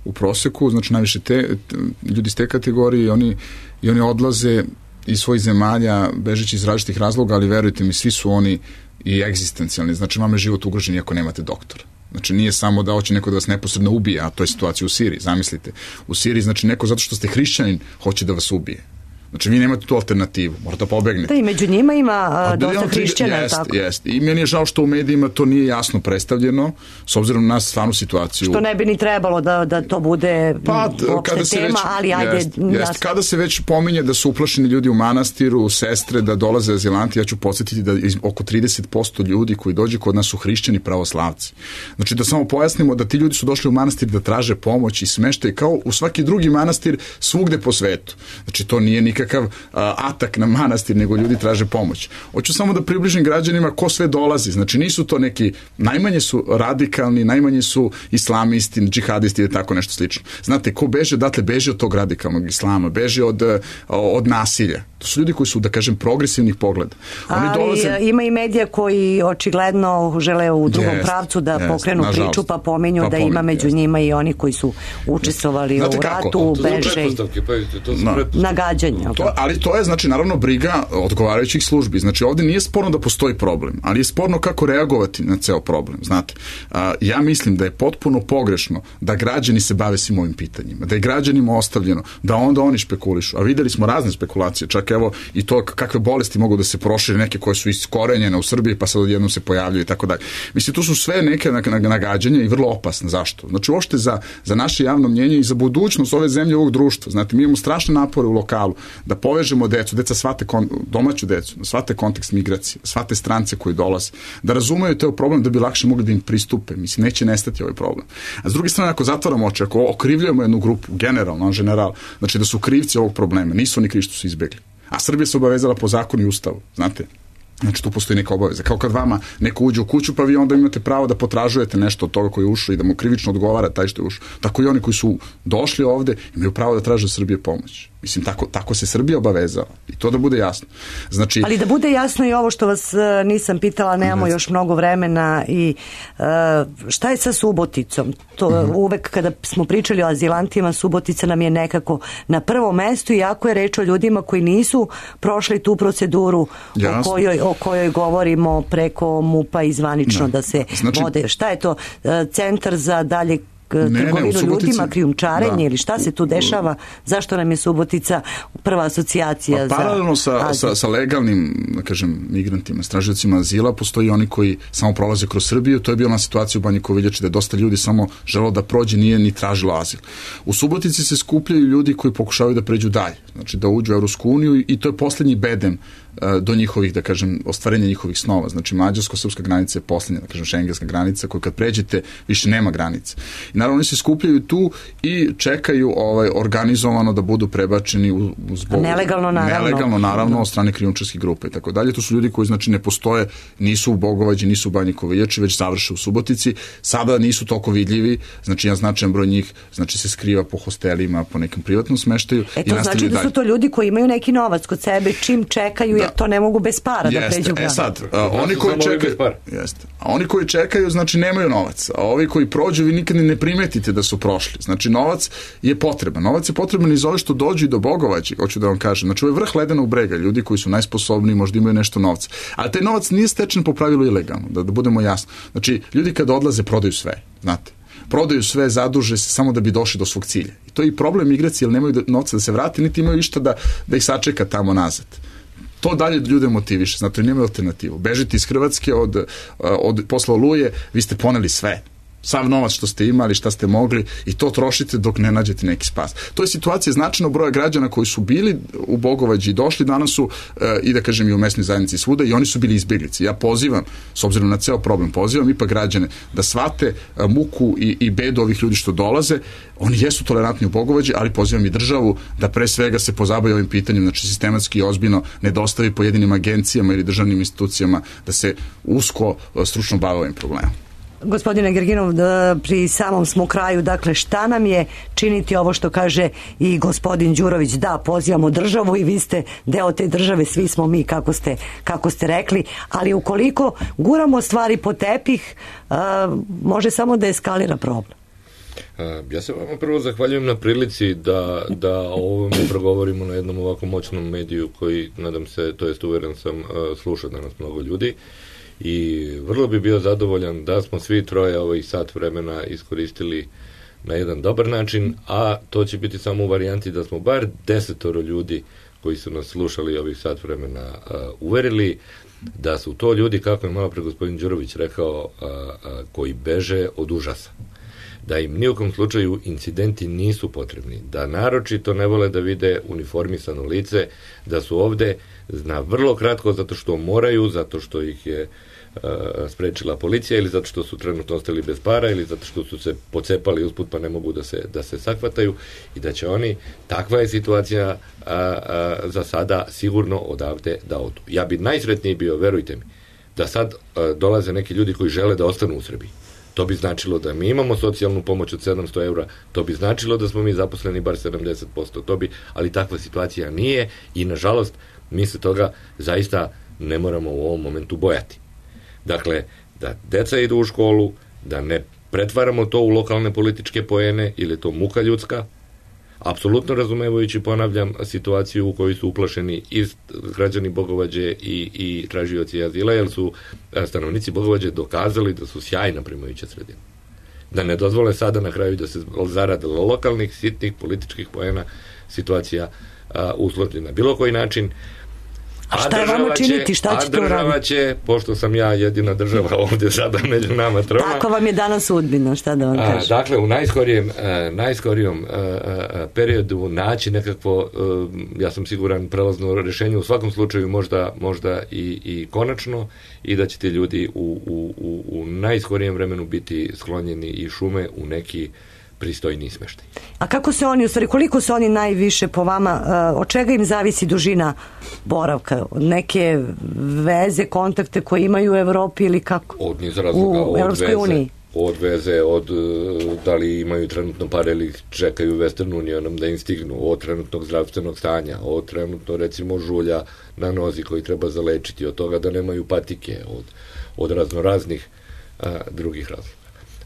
u proseku, znači najviše te, te ljudi iz te kategorije i oni, i oni odlaze iz svojih zemalja bežeći iz različitih razloga, ali verujte mi, svi su oni i egzistencijalni, znači vam je život ugrožen iako nemate doktora. Znači nije samo da hoće neko da vas neposredno ubije, a to je situacija u Siriji, zamislite. U Siriji znači neko zato što ste hrišćanin hoće da vas ubije. Znači vi nemate tu alternativu, morate da pobegnete. Da, i među njima ima a, dosta hrišćana, jest, tako? Jeste, i meni je žao što u medijima to nije jasno predstavljeno, s obzirom na stvarnu situaciju. Što ne bi ni trebalo da, da to bude pa, uopšte tema, već, ali ajde... Jest, jest, kada se već pominje da su uplašeni ljudi u manastiru, sestre, da dolaze azilanti, ja ću podsjetiti da oko trideset posto ljudi koji dođe kod nas su hrišćani pravoslavci. Znači da samo pojasnimo da ti ljudi su došli u manastir da traže pomoć i smeštaj kao u svaki drugi manastir svugde po svetu. Znači to nije nikakav uh, atak na manastir, nego ljudi traže pomoć. Hoću samo da približim građanima ko sve dolazi. Znači nisu to neki, najmanje su radikalni, najmanje su islamisti, džihadisti ili tako nešto slično. Znate, ko beže, datle beže od tog radikalnog islama, beže od, od nasilja. To su ljudi koji su, da kažem, progresivnih pogleda. Oni ali dolaze... ima i medija koji očigledno žele u drugom jest, pravcu da jest, pokrenu nažalost. priču, pa pominju pa da pominju, ima među jest. njima i oni koji su učestvovali Znate u ratu, to beže i no. nagađanja. To, ali to je, znači, naravno briga odgovarajućih službi. Znači, ovde nije sporno da postoji problem, ali je sporno kako reagovati na ceo problem. Znate, a, ja mislim da je potpuno pogrešno da građani se bave svim ovim pitanjima, da je građanima ostavljeno, da onda oni špekulišu. A videli smo razne spekulacije, čak evo i to kakve bolesti mogu da se prošire, neke koje su iskorenjene u Srbiji pa sad odjednom se pojavljaju i tako dalje. Mislim, to su sve neke nagađanja i vrlo opasne. Zašto? Znači, uopšte za, za naše javno mnjenje i za budućnost ove zemlje, ovog društva. Znate, mi imamo strašne napore u lokalu da povežemo decu, deca shvate kon, domaću decu, da shvate kontekst migracije, da shvate strance koji dolaze, da razumeju te problem da bi lakše mogli da im pristupe. Mislim, neće nestati ovaj problem. A s druge strane, ako zatvaramo oči, ako okrivljujemo jednu grupu, generalno, en general, znači da su krivci ovog problema, nisu oni krivi što su izbegli. A Srbija se obavezala po zakonu i ustavu, znate. Znači tu postoji neka obaveza. Kao kad vama neko uđe u kuću, pa vi onda imate pravo da potražujete nešto od toga koji je ušao i da mu krivično odgovara taj što je ušao. Tako i oni koji su došli ovde imaju pravo da traže od Srbije pomoć. Mislim, tako, tako se Srbija obavezala. I to da bude jasno. Znači, ali da bude jasno i ovo što vas uh, nisam pitala, nemamo ne još mnogo vremena i uh, šta je sa Suboticom? To, uh-huh. Uvek kada smo pričali o azilantima, Subotica nam je nekako na prvom mestu, iako je reč o ljudima koji nisu prošli tu proceduru o kojoj, o kojoj govorimo preko MUP-a i zvanično ne. da se znači, vode. Šta je to? Uh, centar za dalje trgovinu ljudima, krijumčarenje ili šta se tu dešava, zašto nam je Subotica prva asocijacija pa, paralelno sa, sa, sa legalnim, da kažem, migrantima, stražiocima azila, postoji oni koji samo prolaze kroz Srbiju. To je bila situacija u Banji Koviljači da je dosta ljudi samo želelo da prođe, nije ni tražilo azil. U Subotici se skupljaju ljudi koji pokušavaju da pređu dalje, znači da uđu u Evropsku uniju i to je poslednji bedem do njihovih, da kažem, ostvarenja njihovih snova. Znači, mađarsko-srpska granica je poslednja, da kažem, šengenska granica, koju kad pređete, više nema granice. I naravno, oni se skupljaju tu i čekaju ovaj, organizovano da budu prebačeni u, u zbog... Nelegalno, naravno. Nelegalno, naravno, od strane krijumčarskih grupa i tako dalje. To su ljudi koji, znači, ne postoje, nisu u Bogovađi, nisu u Banji Koviljači, već završe u Subotici. Sada nisu toliko vidljivi, znači, jedan značajan broj njih, znači, se skriva po hostelima, po nekom privatnom smeštaju. E to znači da su to ljudi koji imaju neki novac kod sebe, čim čekaju, da. Jer to ne mogu bez para jeste. Da pređu granicu. E sad, a, oni koji čekaju, jeste. A oni koji čekaju, znači, nemaju novac. A ovi koji prođu, vi nikad ne primetite da su prošli. Znači, novac je potreban. Novac je potreban iz ove što dođu i do Bogovađi, hoću da vam kažem. Znači, ovo je vrh ledenog brega, ljudi koji su najsposobniji, možda imaju nešto novca. Ali taj novac nije stečen po pravilu ilegalno, da, da budemo jasni. Znači, ljudi kad odlaze, prodaju sve, znate. Prodaju sve, zaduže se samo da bi došli do svog cilja. I to je i problem migracije, jer nemaju novca da se vrati, niti imaju išta da, da ih sačeka tamo nazad. To dalje ljude motiviše, znate, nemaju alternativu. Bežite iz Hrvatske od, od posla Oluje, vi ste poneli sve. Sav novac što ste imali, šta ste mogli i to trošite dok ne nađete neki spas. To je situacija značajnog broja građana koji su bili u Bogovađi i došli danas su e, i da kažem i u mesnoj zajednici svuda i oni su bili izbjeglici. Ja pozivam, s obzirom na ceo problem, pozivam ipak građane da shvate e, muku i, i bedu ovih ljudi što dolaze. Oni jesu tolerantni u Bogovađi, ali pozivam i državu da pre svega se pozabavi ovim pitanjem, znači sistematski i ozbiljno ne dostavi pojedinim agencijama ili državnim institucijama da se usko stručno bave ovim problemom. Gospodine Gerginov, pri samom smo kraju, dakle, šta nam je činiti ovo što kaže i gospodin Đurović, da, pozivamo državu i vi ste deo te države, svi smo mi, kako ste, kako ste rekli, ali ukoliko guramo stvari po tepih, a, može samo da eskalira problem. Ja se vama prvo zahvaljujem na prilici da, da o ovome progovorimo na jednom ovako moćnom mediju koji, nadam se, to jest uveren sam, sluša danas mnogo ljudi. I vrlo bi bio zadovoljan da smo svi troje ovih sat vremena iskoristili na jedan dobar način, a to će biti samo u varijanti da smo bar desetoro ljudi koji su nas slušali ovih sat vremena uh, uverili da su to ljudi, kako je malo pre gospodin Đurović rekao, uh, uh, koji beže od užasa. Da im nijukom slučaju incidenti nisu potrebni, da naročito ne vole da vide uniformisano lice, da su ovde na vrlo kratko zato što moraju, zato što ih je uh, sprečila policija ili zato što su trenutno ostali bez para ili zato što su se pocepali usput pa ne mogu da se, da se sakvataju i da će oni, takva je situacija uh, uh, za sada sigurno odavde da odu. Ja bi najsretniji bio, verujte mi, da sad uh, dolaze neki ljudi koji žele da ostanu u Srbiji. To bi značilo da mi imamo socijalnu pomoć od sedamsto eura, to bi značilo da smo mi zaposleni bar sedamdeset posto, to bi, ali takva situacija nije i nažalost mi se toga zaista ne moramo u ovom momentu bojati. Dakle, da deca idu u školu, da ne pretvaramo to u lokalne političke poene ili je to muka ljudska, apsolutno razumevajući, ponavljam, situaciju u kojoj su uplašeni i građani Bogovađe i, i tražioci azila, jer su stanovnici Bogovađe dokazali da su sjajna primajuća sredina. Da ne dozvole sada na kraju da se zarade lokalnih, sitnih, političkih poena, situacija usložena na bilo koji način. A šta je vama činiti? Šta ćete uraditi? A država će, pošto sam ja jedina država ovde sada među nama troma. Tako vam je danas sudbina, šta da vam kažem? A, dakle, u najskorijem, a, najskorijom a, a, periodu naći nekakvo, a, ja sam siguran, prelazno rešenje, u svakom slučaju možda, možda i, i konačno, i da će ti ljudi u, u, u, u najskorijem vremenu biti sklonjeni i šume u neki pristojni smeštaj. A kako se oni, u stvari, koliko su oni najviše po vama, uh, od čega im zavisi dužina boravka? Od neke veze, kontakte koje imaju u Evropi ili kako? Od niz razloga, u Evropskoj uniji? Od veze, od da li imaju trenutno pare ili čekaju Western Unionom da im stignu, od trenutnog zdravstvenog stanja, od trenutno recimo žulja na nozi koji treba zalečiti, od toga da nemaju patike, od, od raznoraznih a, drugih razloga.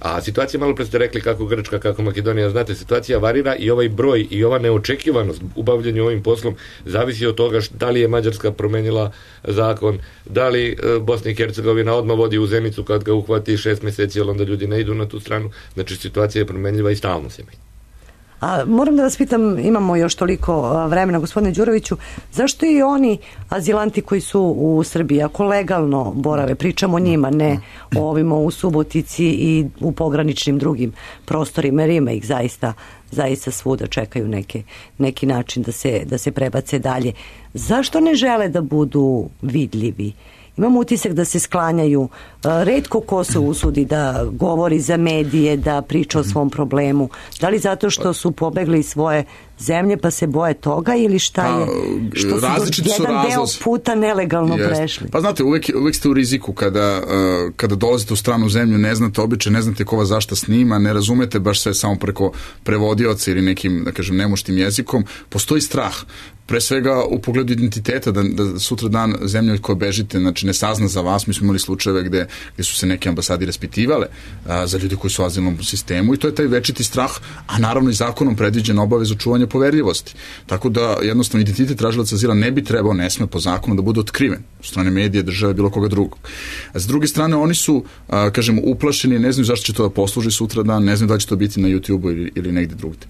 A situacija, malo pre ste rekli kako Grčka, kako Makedonija, znate, situacija varira i ovaj broj i ova neočekivanost u bavljanju ovim poslom zavisi od toga da li je Mađarska promenila zakon, da li e, Bosna i Hercegovina odmah vodi u Zenicu kad ga uhvati šest meseci, ali onda ljudi ne idu na tu stranu. Znači, situacija je promenljiva i stalno se menja. A moram da vas pitam, imamo još toliko vremena, gospodine Đuroviću, zašto i oni azilanti koji su u Srbiji, ako legalno borave, pričamo o njima, ne o ovima u Subotici i u pograničnim drugim prostorima, jer ima ih zaista, zaista svuda, čekaju neke, neki način da se, da se prebace dalje. Zašto ne žele da budu vidljivi? Imamo utisak da se sklanjaju. Retko ko se usudi da govori za medije, da priča o svom problemu. Da li zato što su pobegli iz svoje zemlje pa se boje toga ili šta je? Što su jedan deo puta nelegalno Jest. prešli. Pa znate, uvek, uvek ste u riziku kada, uh, kada dolazite u stranu zemlju, ne znate običaj, ne znate ko vas zašta snima, ne razumete baš sve samo preko prevodioca ili nekim, da kažem, nemuštim jezikom. Postoji strah. Pre svega u pogledu identiteta, da, da sutra dan zemlja od koje bežite, znači ne sazna za vas. Mi smo imali slučajeve gde, gde su se neke ambasade raspitivale a, za ljude koji su u azilnom sistemu i to je taj večiti strah, a naravno i zakonom predviđena obaveza čuvanja poverljivosti. Tako da jednostavno identitet tražilaca azila ne bi trebao, ne sme po zakonu da bude otkriven od strane medije, države, bilo koga drugog. A s druge strane, oni su, a, kažem, uplašeni, ne znaju zašto će to da posluži sutra dan, ne znaju da će to biti na YouTubeu ili, ili negde drugde.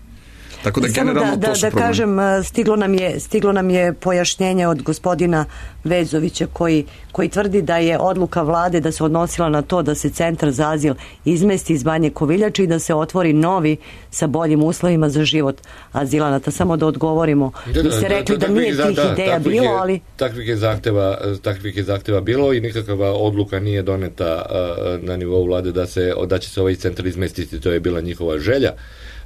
Tako da generalno da, to su da, da kažem, stiglo nam je, stiglo nam je pojašnjenje od gospodina Vezovića koji, koji tvrdi da je odluka vlade da se odnosila na to da se centar za azil izmesti iz Banje Koviljače i da se otvori novi sa boljim uslovima za život azilanata. Samo da odgovorimo. Da, da, Vi ste rekli da, da, da nije tih da, ideja bilo, je, ali... Takvih je, zahteva, takvih je zahteva bilo i nikakva odluka nije doneta uh, na nivou vlade da, se, da će se ovaj centar izmestiti. To je bila njihova želja.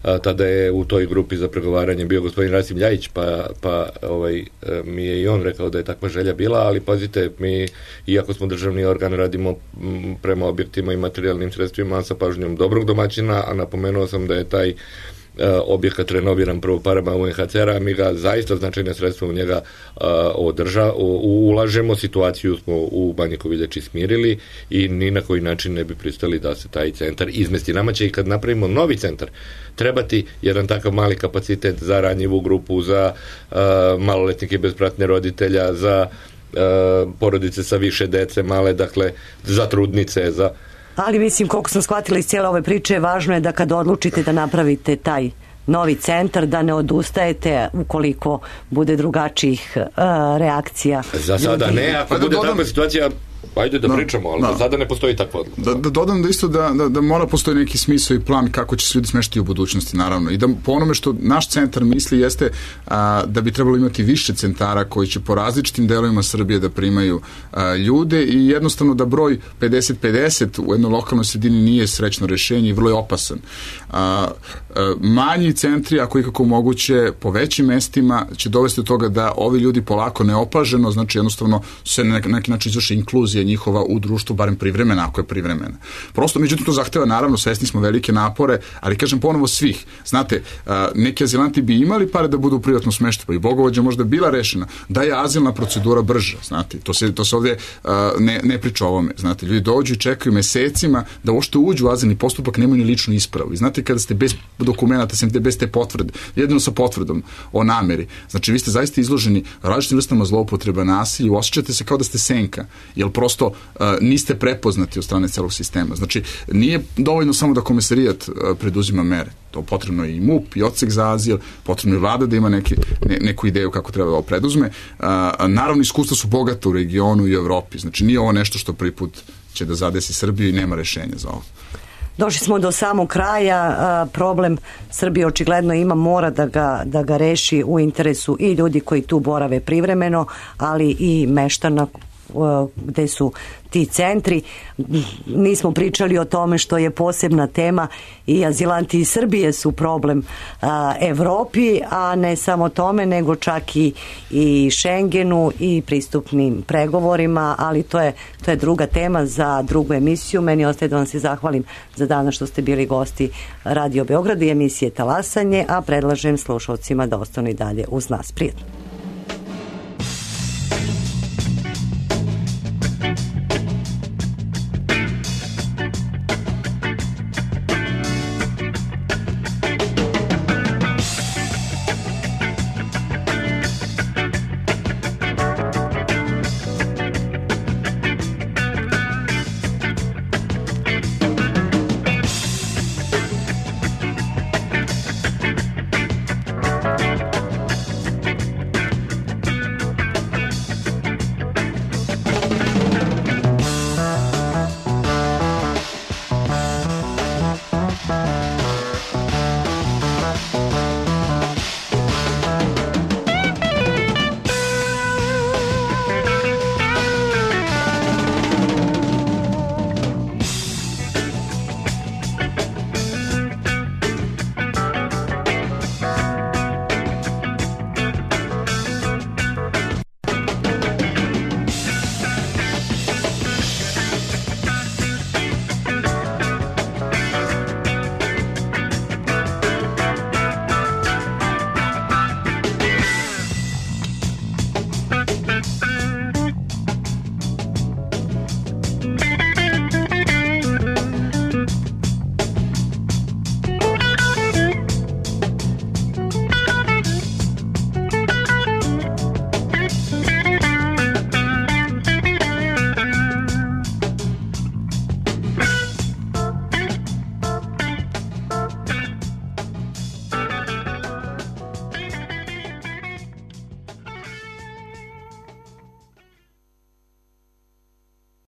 A, tada je u toj grupi za pregovaranje bio gospodin Rasim Ljajić, pa, pa ovaj, mi je i on rekao da je takva želja bila, ali pazite, mi, iako smo državni organ, radimo m, prema objektima i materijalnim sredstvima sa pažnjom dobrog domaćina, a napomenuo sam da je taj objekat renoviran prvo parama U N H C R-a, mi ga zaista značajne sredstva u njega uh, održa, u, ulažemo, situaciju smo u Banji Koviljači smirili i ni na koji način ne bi pristali da se taj centar izmesti. Nama će i kad napravimo novi centar trebati jedan takav mali kapacitet za ranjivu grupu, za uh, maloletnike bez pratnje roditelja, za uh, porodice sa više dece male, dakle za trudnice, za... Ali mislim, koliko sam shvatila iz cijele ove priče, važno je da kad odlučite da napravite taj novi centar, da ne odustajete ukoliko bude drugačijih uh, reakcija. Za sada ne, ako pa bude takva situacija, ajde da no, pričamo, ali no. Za sada ne postoji takva odluka. Da, da dodam da isto da, da, da mora postoji neki smisao i plan kako će se ljudi smeštiti u budućnosti, naravno. I da po onome što naš centar misli jeste a, da bi trebalo imati više centara koji će po različitim delovima Srbije da primaju a, ljude i jednostavno da broj pedeset pedeset u jednoj lokalnoj sredini nije srećno rešenje i vrlo je opasan. A, a, manji centri, ako ikako moguće, po većim mestima će dovesti do toga da ovi ljudi polako neopaženo, znači jednostavno se na neki način izvrši inkluzija njihova u društvu, barem privremena, ako je privremena. Prosto, međutim, to zahteva, naravno, svesni smo velike napore, ali kažem ponovo svih. Znate, neki azilanti bi imali pare da budu u privatnom smeštaju, pa i Bogovađa možda bila rešena, da je azilna procedura brža, znate, to se, to se ovdje ne, ne priča o ovome, znate, ljudi dođu i čekaju mesecima da uopšte uđu u azilni postupak, nemaju ni ličnu ispravu. I znate, kada ste bez dokumenta, sem bez te potvrde, jedino sa potvrdom o nameri, znači, vi ste zaista izloženi različitim vrstama zloupotreba, nasilja, osjećate se kao da ste senka, jer prosto uh, niste prepoznati od strane celog sistema. Znači, nije dovoljno samo da komesarijat uh, preduzima mere. To potrebno je i M U P, i odsek za azil, potrebno je vlada da ima neki, ne, neku ideju kako treba da ovo preduzme. Uh, naravno, iskustva su bogata u regionu i u Evropi. Znači, nije ovo nešto što prvi put će da zadesi Srbiju i nema rešenja za ovo. Došli smo do samog kraja, a, problem Srbije očigledno ima, mora da ga, da ga reši u interesu i ljudi koji tu borave privremeno, ali i meštana gde su ti centri. Nismo pričali o tome što je posebna tema i azilanti iz Srbije su problem a, Evropi, a ne samo tome, nego čak i, i Schengenu i pristupnim pregovorima, ali to je, to je druga tema za drugu emisiju. Meni ostaje da vam se zahvalim za danas što ste bili gosti Radio Beograda i emisije Talasanje, a predlažem slušalcima da ostanu i dalje uz nas. Prijetno.